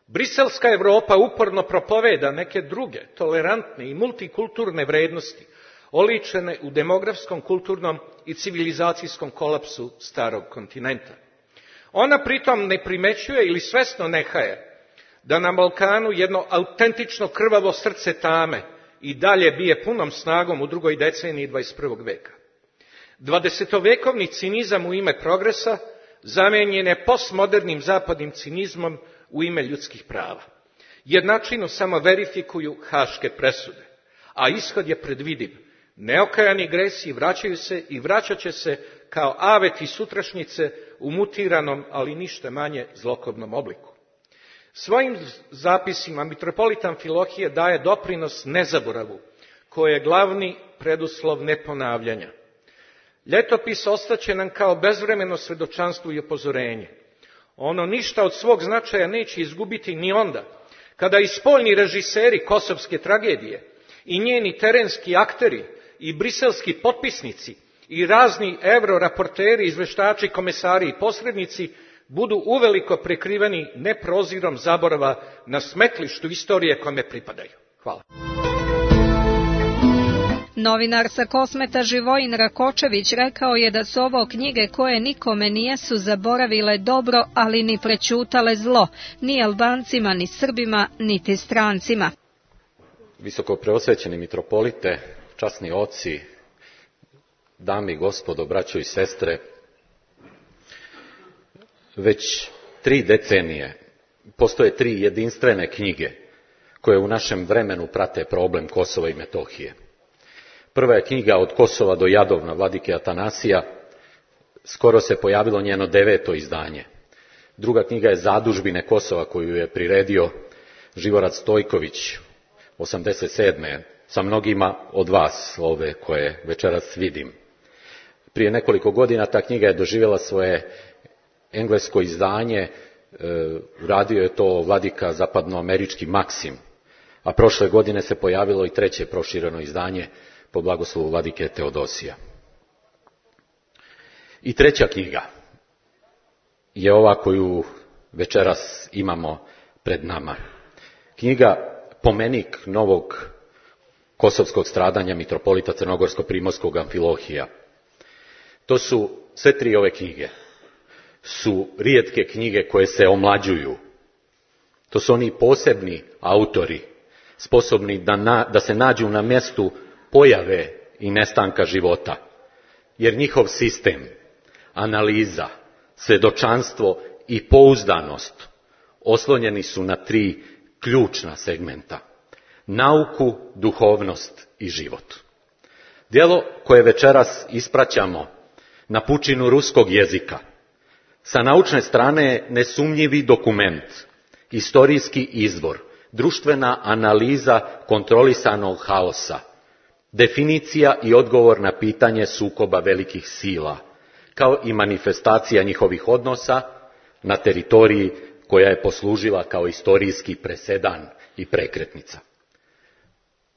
briselska Evropa uporno propoveda neke druge, tolerantne i multikulturne vrednosti, oličene u demografskom, kulturnom i civilizacijskom kolapsu starog kontinenta. Ona pritom ne primećuje ili svesno nehaje da na Balkanu jedno autentično krvavo srce tame i dalje bije punom snagom u drugoj deceniji 21. veka. 20-vekovni cinizam u ime progresa zamenjen je postmodernim zapadnim cinizmom u ime ljudskih prava. Jednačinu samo verifikuju haške presude, a ishod je predvidiv. Neokajani gresi vraćaju se i vraćat će se kao aveti sutrašnjice u mutiranom, ali ništa manje zlokobnom obliku. Svojim zapisima mitropolit Amfilohije daje doprinos nezaboravu, koji je glavni preduslov neponavljanja. Ljetopis ostaće nam kao bezvremeno svedočanstvo i upozorenje. Ono ništa od svog značaja neće izgubiti ni onda, kada i spoljni režiseri kosovske tragedije i njeni terenski akteri i briselski potpisnici i razni euroraporteri, izveštači, komesari i posrednici budu uveliko prekriveni neprozirom zaborava na smetlištu istorije kome pripadaju. Hvala. Novinar sa Kosmeta Živojin Rakočević rekao je da su ovo knjige koje nikome nijesu zaboravile dobro, ali ni prećutale zlo, ni Albancima, ni Srbima, niti strancima. Visoko preosvećeni mitropolite, časni oci, dame i gospodo, braćo i sestre, već 3 decenije postoje 3 jedinstvene knjige koje u našem vremenu prate problem Kosova i Metohije. Prva je knjiga Od Kosova do Jadovna vladike Atanasija, skoro se pojavilo njeno 9. izdanje. Druga knjiga je Zadužbine Kosova koju je priredio Živorad Stojković 87. sa mnogima od vas, ove koje večeras vidim. Prije nekoliko godina ta knjiga je doživjela svoje englesko izdanje Radio je to vladika zapadnoamerički Maksim, a prošle godine se pojavilo i treće prošireno izdanje pod blagoslovu vladike Teodosija. I treća knjiga je ova koju večeras imamo pred nama. Knjiga Pomenik novog kosovskog stradanja mitropolita crnogorsko-primorskog Amfilohija. To su sve tri ove knjige. Su rijetke knjige koje se omlađuju. To su oni posebni autori, sposobni da se nađu na mjestu pojave i nestanka života. Jer njihov sistem, analiza, svjedočanstvo i pouzdanost oslonjeni su na tri ključna segmenta. Nauku, duhovnost i život. Djelo koje večeras ispraćamo na pučinu ruskog jezika, sa naučne strane je nesumnjivi dokument, historijski izvor, društvena analiza kontrolisanog haosa, definicija i odgovor na pitanje sukoba velikih sila, kao i manifestacija njihovih odnosa na teritoriji koja je poslužila kao historijski presedan i prekretnica.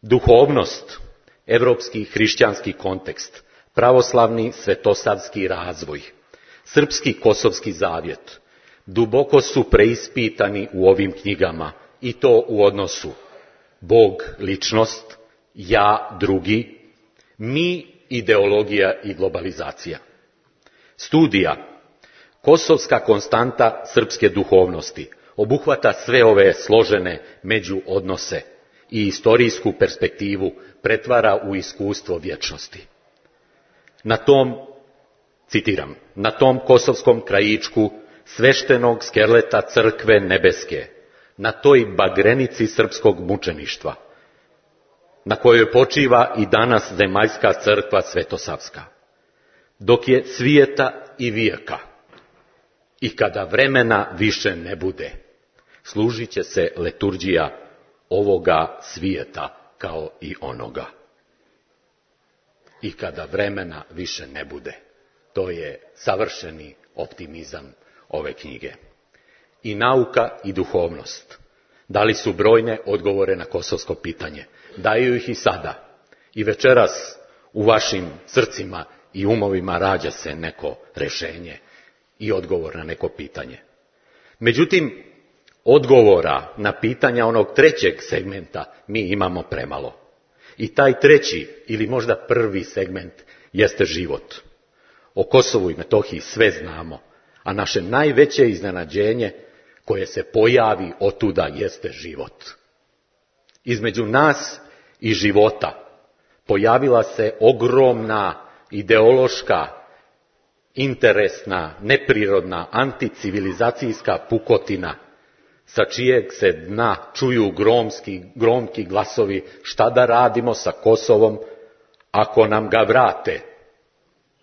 Duhovnost, europski hrišćanski kontekst, pravoslavni svetosavski razvoj, srpski kosovski zavjet, duboko su preispitani u ovim knjigama i to u odnosu Bog, ličnost, ja, drugi, mi, ideologija i globalizacija. Studija Kosovska konstanta srpske duhovnosti obuhvata sve ove složene međuodnose i historijsku perspektivu pretvara u iskustvo vječnosti. Na tom, citiram, na tom kosovskom krajičku sveštenog skeleta crkve nebeske, na toj bagrenici srpskog mučeništva, na kojoj počiva i danas zemaljska crkva svetosavska, dok je svijeta i vijeka, i kada vremena više ne bude, služit će se liturgija ovoga svijeta kao i onoga. I kada vremena više ne bude. To je savršeni optimizam ove knjige. I nauka i duhovnost dali su brojne odgovore na kosovsko pitanje. Daju ih i sada. I večeras u vašim srcima i umovima rađa se neko rješenje i odgovor na neko pitanje. Međutim, odgovora na pitanja onog trećeg segmenta mi imamo premalo. I taj treći ili možda prvi segment jeste život. O Kosovu i Metohiji sve znamo, a naše najveće iznenađenje koje se pojavi otuda jeste život. Između nas i života pojavila se ogromna ideološka, interesna, neprirodna, anticivilizacijska pukotina, sa čijeg se dna čuju gromki glasovi šta da radimo sa Kosovom ako nam ga vrate.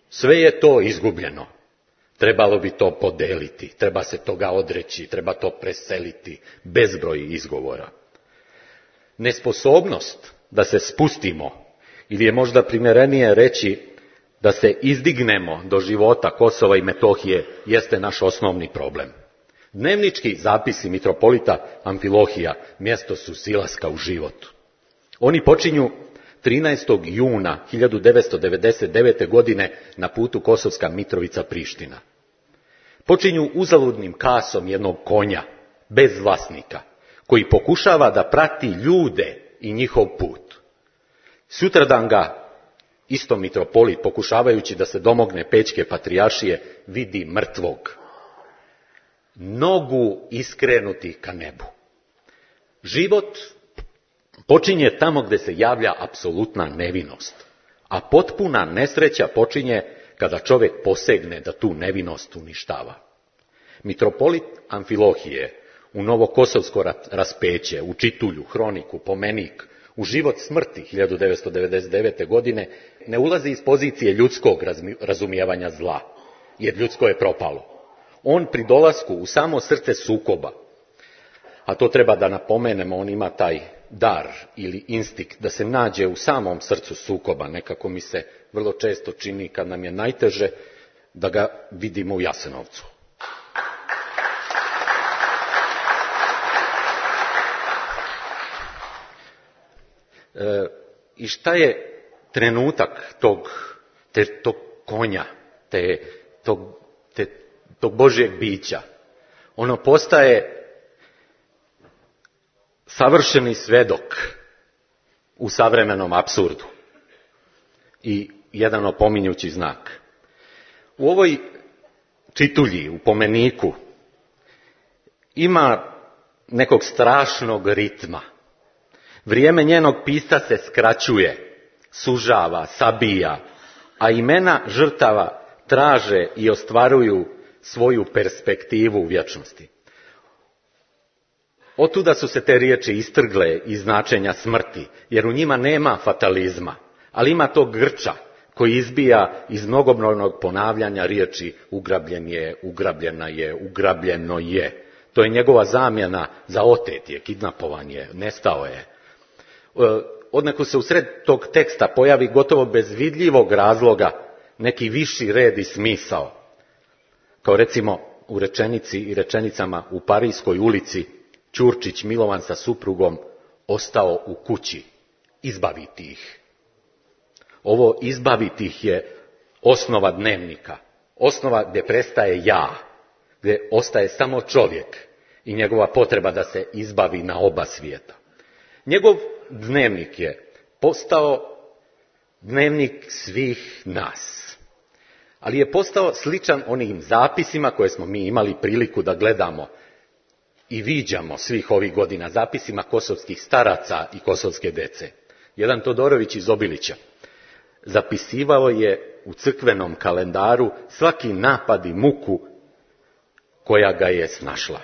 Sve je to izgubljeno. Trebalo bi to podeliti, treba se toga odreći, treba to preseliti, bezbroj izgovora. Nesposobnost da se spustimo, ili je možda primjerenije reći da se izdignemo do života Kosova i Metohije, jeste naš osnovni problem. Dnevnički zapisi mitropolita Amfilohija mjesto su silaska u život. Oni počinju 13. juna 1999. godine na putu Kosovska Mitrovica-Priština. Počinju uzaludnim kasom jednog konja, bez vlasnika, koji pokušava da prati ljude i njihov put. Sutradan ga isto mitropolit, pokušavajući da se domogne Pećke patrijaršije, vidi mrtvog, nogu iskrenuti ka nebu. Život počinje tamo gdje se javlja apsolutna nevinost, a potpuna nesreća počinje kada čovjek posegne da tu nevinost uništava. Mitropolit Amfilohije u Novokosovsko raspeće, u Čitulju, Hroniku, Pomenik, u život smrti 1999. godine ne ulazi iz pozicije ljudskog razumijevanja zla, jer ljudsko je propalo. On pri dolasku u samo srce sukoba, a to treba da napomenemo, on ima taj dar ili instinkt da se nađe u samom srcu sukoba. Nekako mi se vrlo često čini kad nam je najteže da ga vidimo u Jasenovcu. I šta je trenutak tog konja, tog Božjeg bića? Ono postaje savršeni svedok u savremenom apsurdu i jedan opominjući znak. U ovoj čitulji, u pomeniku, ima nekog strašnog ritma. Vrijeme njenog pisca se skraćuje, sužava, sabija, a imena žrtava traže i ostvaruju svoju perspektivu u vječnosti. Otuda su se te riječi istrgle iz značenja smrti, jer u njima nema fatalizma, ali ima tog grča koji izbija iz mnogobrojnog ponavljanja riječi ugrabljen je, ugrabljena je, ugrabljeno je. To je njegova zamjena za otet je, kidnapovan je, nestao je. Odnako se usred tog teksta pojavi gotovo bez vidljivog razloga neki viši red i smisao. Kao recimo u rečenici i rečenicama u Parijskoj ulici Ćurčić Milovan sa suprugom ostao u kući. Izbaviti ih. Ovo izbaviti ih je osnova dnevnika. Osnova gdje prestaje ja. Gdje ostaje samo čovjek i njegova potreba da se izbavi na oba svijeta. Njegov dnevnik je postao dnevnik svih nas. Ali je postao sličan onim zapisima koje smo mi imali priliku da gledamo i viđamo svih ovih godina, zapisima kosovskih staraca i kosovske dece. Jedan Todorović iz Obilića zapisivao je u crkvenom kalendaru svaki napad i muku koja ga je snašla.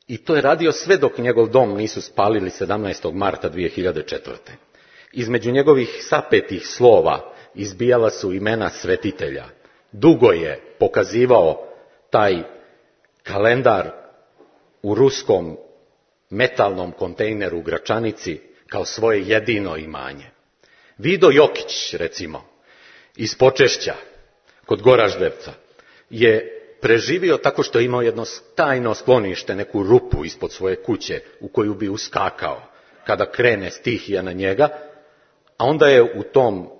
I to je radio sve dok njegov dom nisu spalili 17. marta 2004. Između njegovih sapetih slova izbijala su imena svetitelja. Dugo je pokazivao taj kalendar u ruskom metalnom kontejneru u Gračanici kao svoje jedino imanje. Vido Jokić, recimo, iz Počešća, kod Goraždevca, je preživio tako što je imao jedno tajno sklonište, neku rupu ispod svoje kuće u koju bi uskakao kada krene stihija na njega, a onda je u tom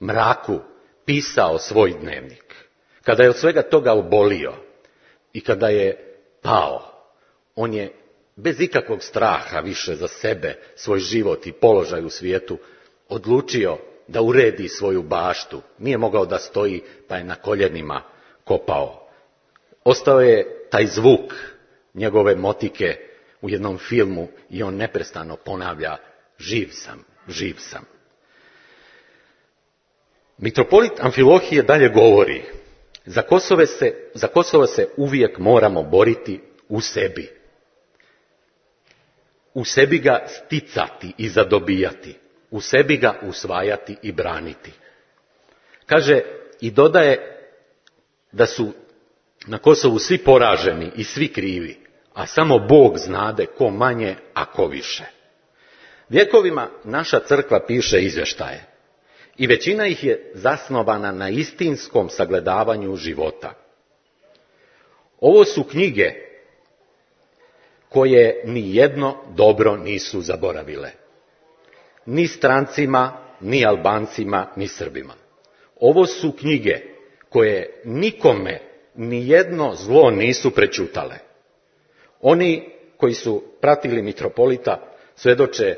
mraku pisao svoj dnevnik. Kada je od svega toga obolio i kada je pao, on je bez ikakvog straha više za sebe, svoj život i položaj u svijetu, odlučio da uredi svoju baštu. Nije mogao da stoji, pa je na koljenima kopao. Ostao je taj zvuk njegove motike u jednom filmu i on neprestano ponavlja živ sam, živ sam. Mitropolit Amfilohije dalje govori, za Kosovo se uvijek moramo boriti u sebi. U sebi ga sticati i zadobijati, u sebi ga usvajati i braniti. Kaže i dodaje da su na Kosovu svi poraženi i svi krivi, a samo Bog znade ko manje, a ko više. Vjekovima naša crkva piše izvještaje i većina ih je zasnovana na istinskom sagledavanju života. Ovo su knjige koje ni jedno dobro nisu zaboravile. Ni strancima, ni Albancima, ni Srbima. Ovo su knjige koje nikome ni jedno zlo nisu prećutale. Oni koji su pratili mitropolita svjedoče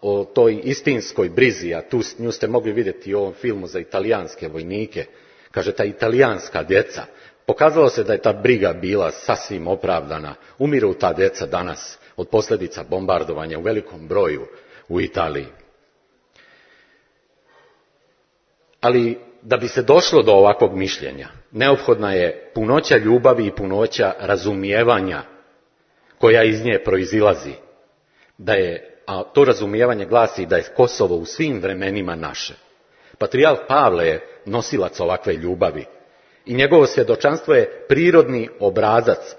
o toj istinskoj brizi, a nju ste mogli vidjeti u ovom filmu za italijanske vojnike. Kaže, ta italijanska djeca. Pokazalo se da je ta briga bila sasvim opravdana. Umiru ta djeca danas od posljedica bombardovanja u velikom broju u Italiji. Ali da bi se došlo do ovakvog mišljenja, neophodna je punoća ljubavi i punoća razumijevanja koja iz nje proizilazi. A to razumijevanje glasi da je Kosovo u svim vremenima naše. Patrijarh Pavle je nosilac ovakve ljubavi i njegovo svjedočanstvo je prirodni obrazac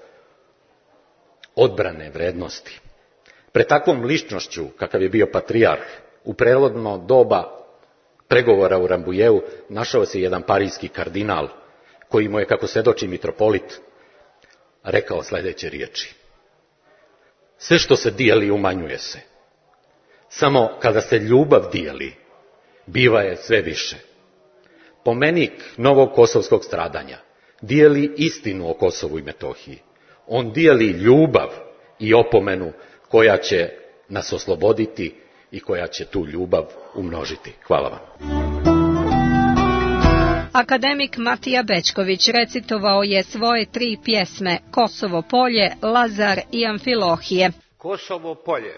odbrane vrednosti. Pred takvom ličnošću, kakav je bio patrijarh, u prelomno doba pregovora u Rambujeu našao se jedan parijski kardinal koji mu je, kako svjedoči mitropolit, rekao sljedeće riječi. Sve što se dijeli umanjuje se. Samo kada se ljubav dijeli, biva je sve više. Pomenik novog kosovskog stradanja dijeli istinu o Kosovu i Metohiji. On dijeli ljubav i opomenu koja će nas osloboditi i koja će tu ljubav umnožiti. Hvala vam. Akademik Matija Bećković recitovao je svoje 3 pjesme Kosovo polje, Lazar i Amfilohije. Kosovo polje.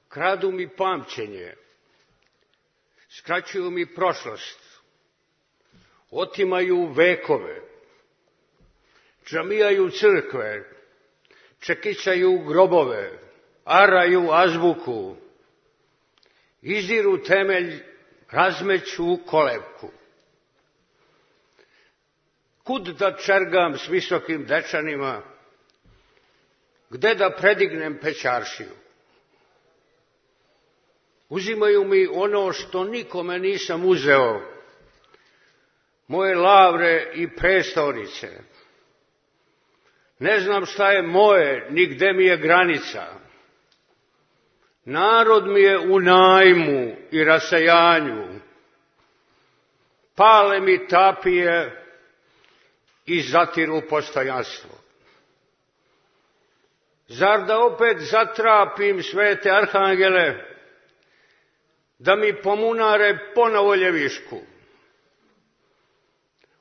Kradu mi pamćenje, skraćuju mi prošlost, otimaju vekove, džamijaju crkve, čekićaju grobove, araju azbuku, iziru temelj, razmeću kolevku. Kud da čergam s visokim dečanima, gde da predignem pećaršiju? Uzimaju mi ono što nikome nisam uzeo, moje lavre i prestolnice. Ne znam šta je moje, ni gde mi je granica. Narod mi je u najmu i rasejanju. Pale mi tapije i zatiru postojanstvo. Zar da opet zatrapim svete arhangele, da mi pomunare ponovo ljevišku?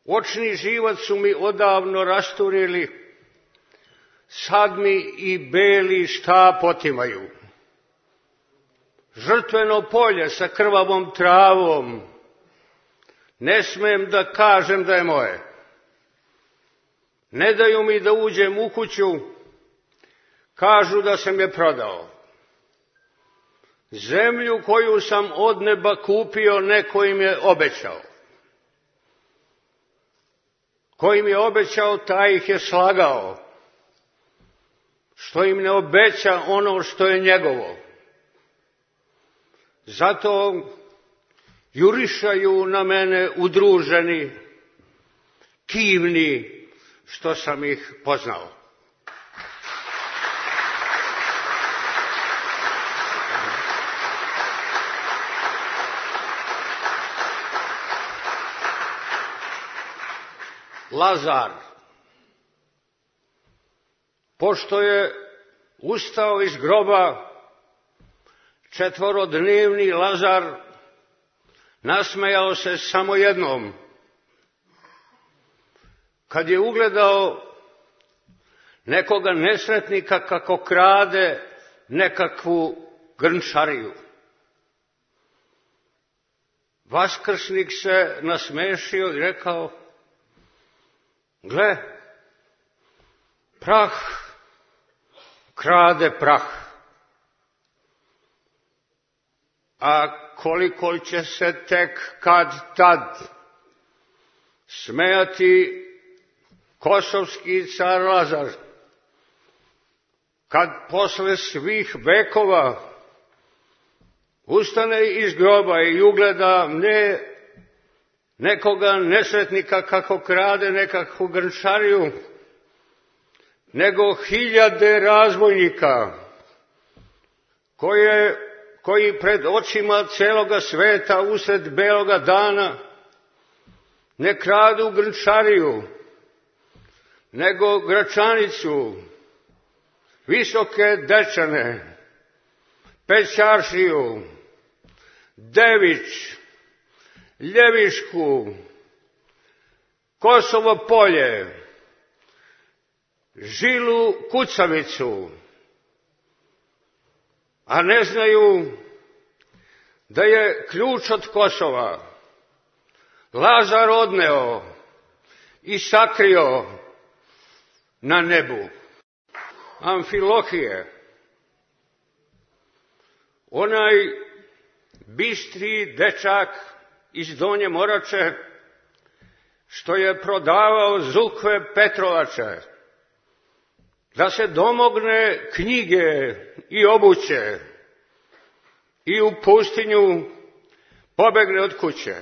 Očni živac su mi odavno rasturili, sad mi i beli štap otimaju. Žrtveno polje sa krvavom travom, ne smem da kažem da je moje. Ne daju mi da uđem u kuću, kažu da sam je prodao. Zemlju koju sam od neba kupio, neko im je obećao. Ko im je obećao, taj ih je slagao. Što im ne obeća ono što je njegovo. Zato jurišaju na mene udruženi, kivni, što sam ih poznao. Lazar, pošto je ustao iz groba, 4-dnevni Lazar nasmejao se samo jednom. Kad je ugledao nekoga nesretnika kako krade nekakvu grnčariju. Vaskrsnik se nasmešio i rekao: gle, prah krade prah. A koliko će se tek kad tad smejati kosovski car Lazar, kad posle svih vekova ustane iz groba i ugleda ne nekoga nesretnika kako krade nekakvu grnčariju, nego 1000 razbojnika koji pred očima celoga sveta usred beloga dana ne kradu grnčariju, nego gračanicu, visoke dečane, pećaršiju, dević, ljevišku, Kosovo polje, žilu kucavicu, a ne znaju da je ključ od Kosova Lazar odneo i sakrio na nebu. Amfilohije, onaj bistri dečak iz Donje Morače, što je prodavao zukve Petrovače, da se domogne knjige i obuće i u pustinju pobegne od kuće.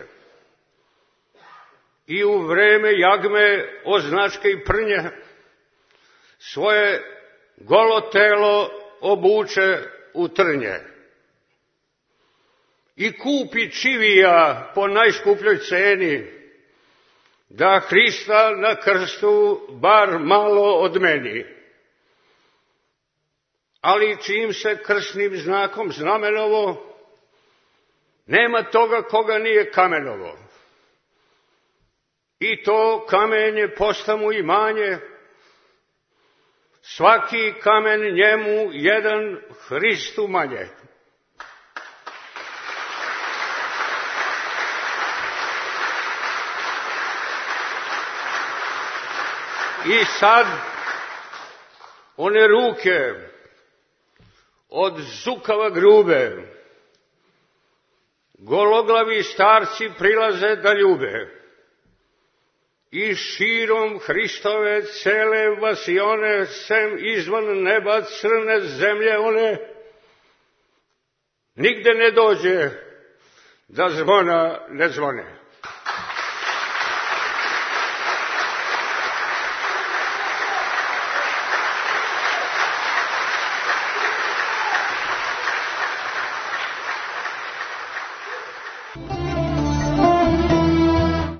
I u vreme jagme, označke i prnje svoje golo telo obuče u trnje i kupi čivija po najskupljoj ceni, da Hrista na krstu bar malo odmeni. Ali čim se krsnim znakom znamenovo, nema toga koga nije kamenovo. I to kamenje posta mu imanje, svaki kamen njemu jedan Hristu manje. I sad one ruke od zukava grube, gologlavi starci prilaze da ljube i širom Hristove cele vasione, sem izvan neba crne zemlje one, nigde ne dođe da zvona ne zvone.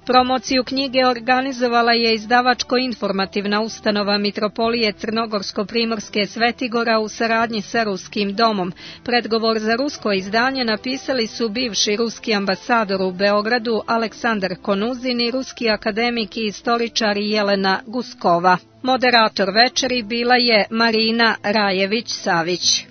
Promociju knjige organizovala je izdavačko-informativna ustanova Mitropolije Crnogorsko-Primorske Svetigora u saradnji sa Ruskim domom. Predgovor za rusko izdanje napisali su bivši ruski ambasador u Beogradu Aleksandar Konuzin i ruski akademik i istoričar Jelena Guskova. Moderator večeri bila je Marina Rajević-Savić.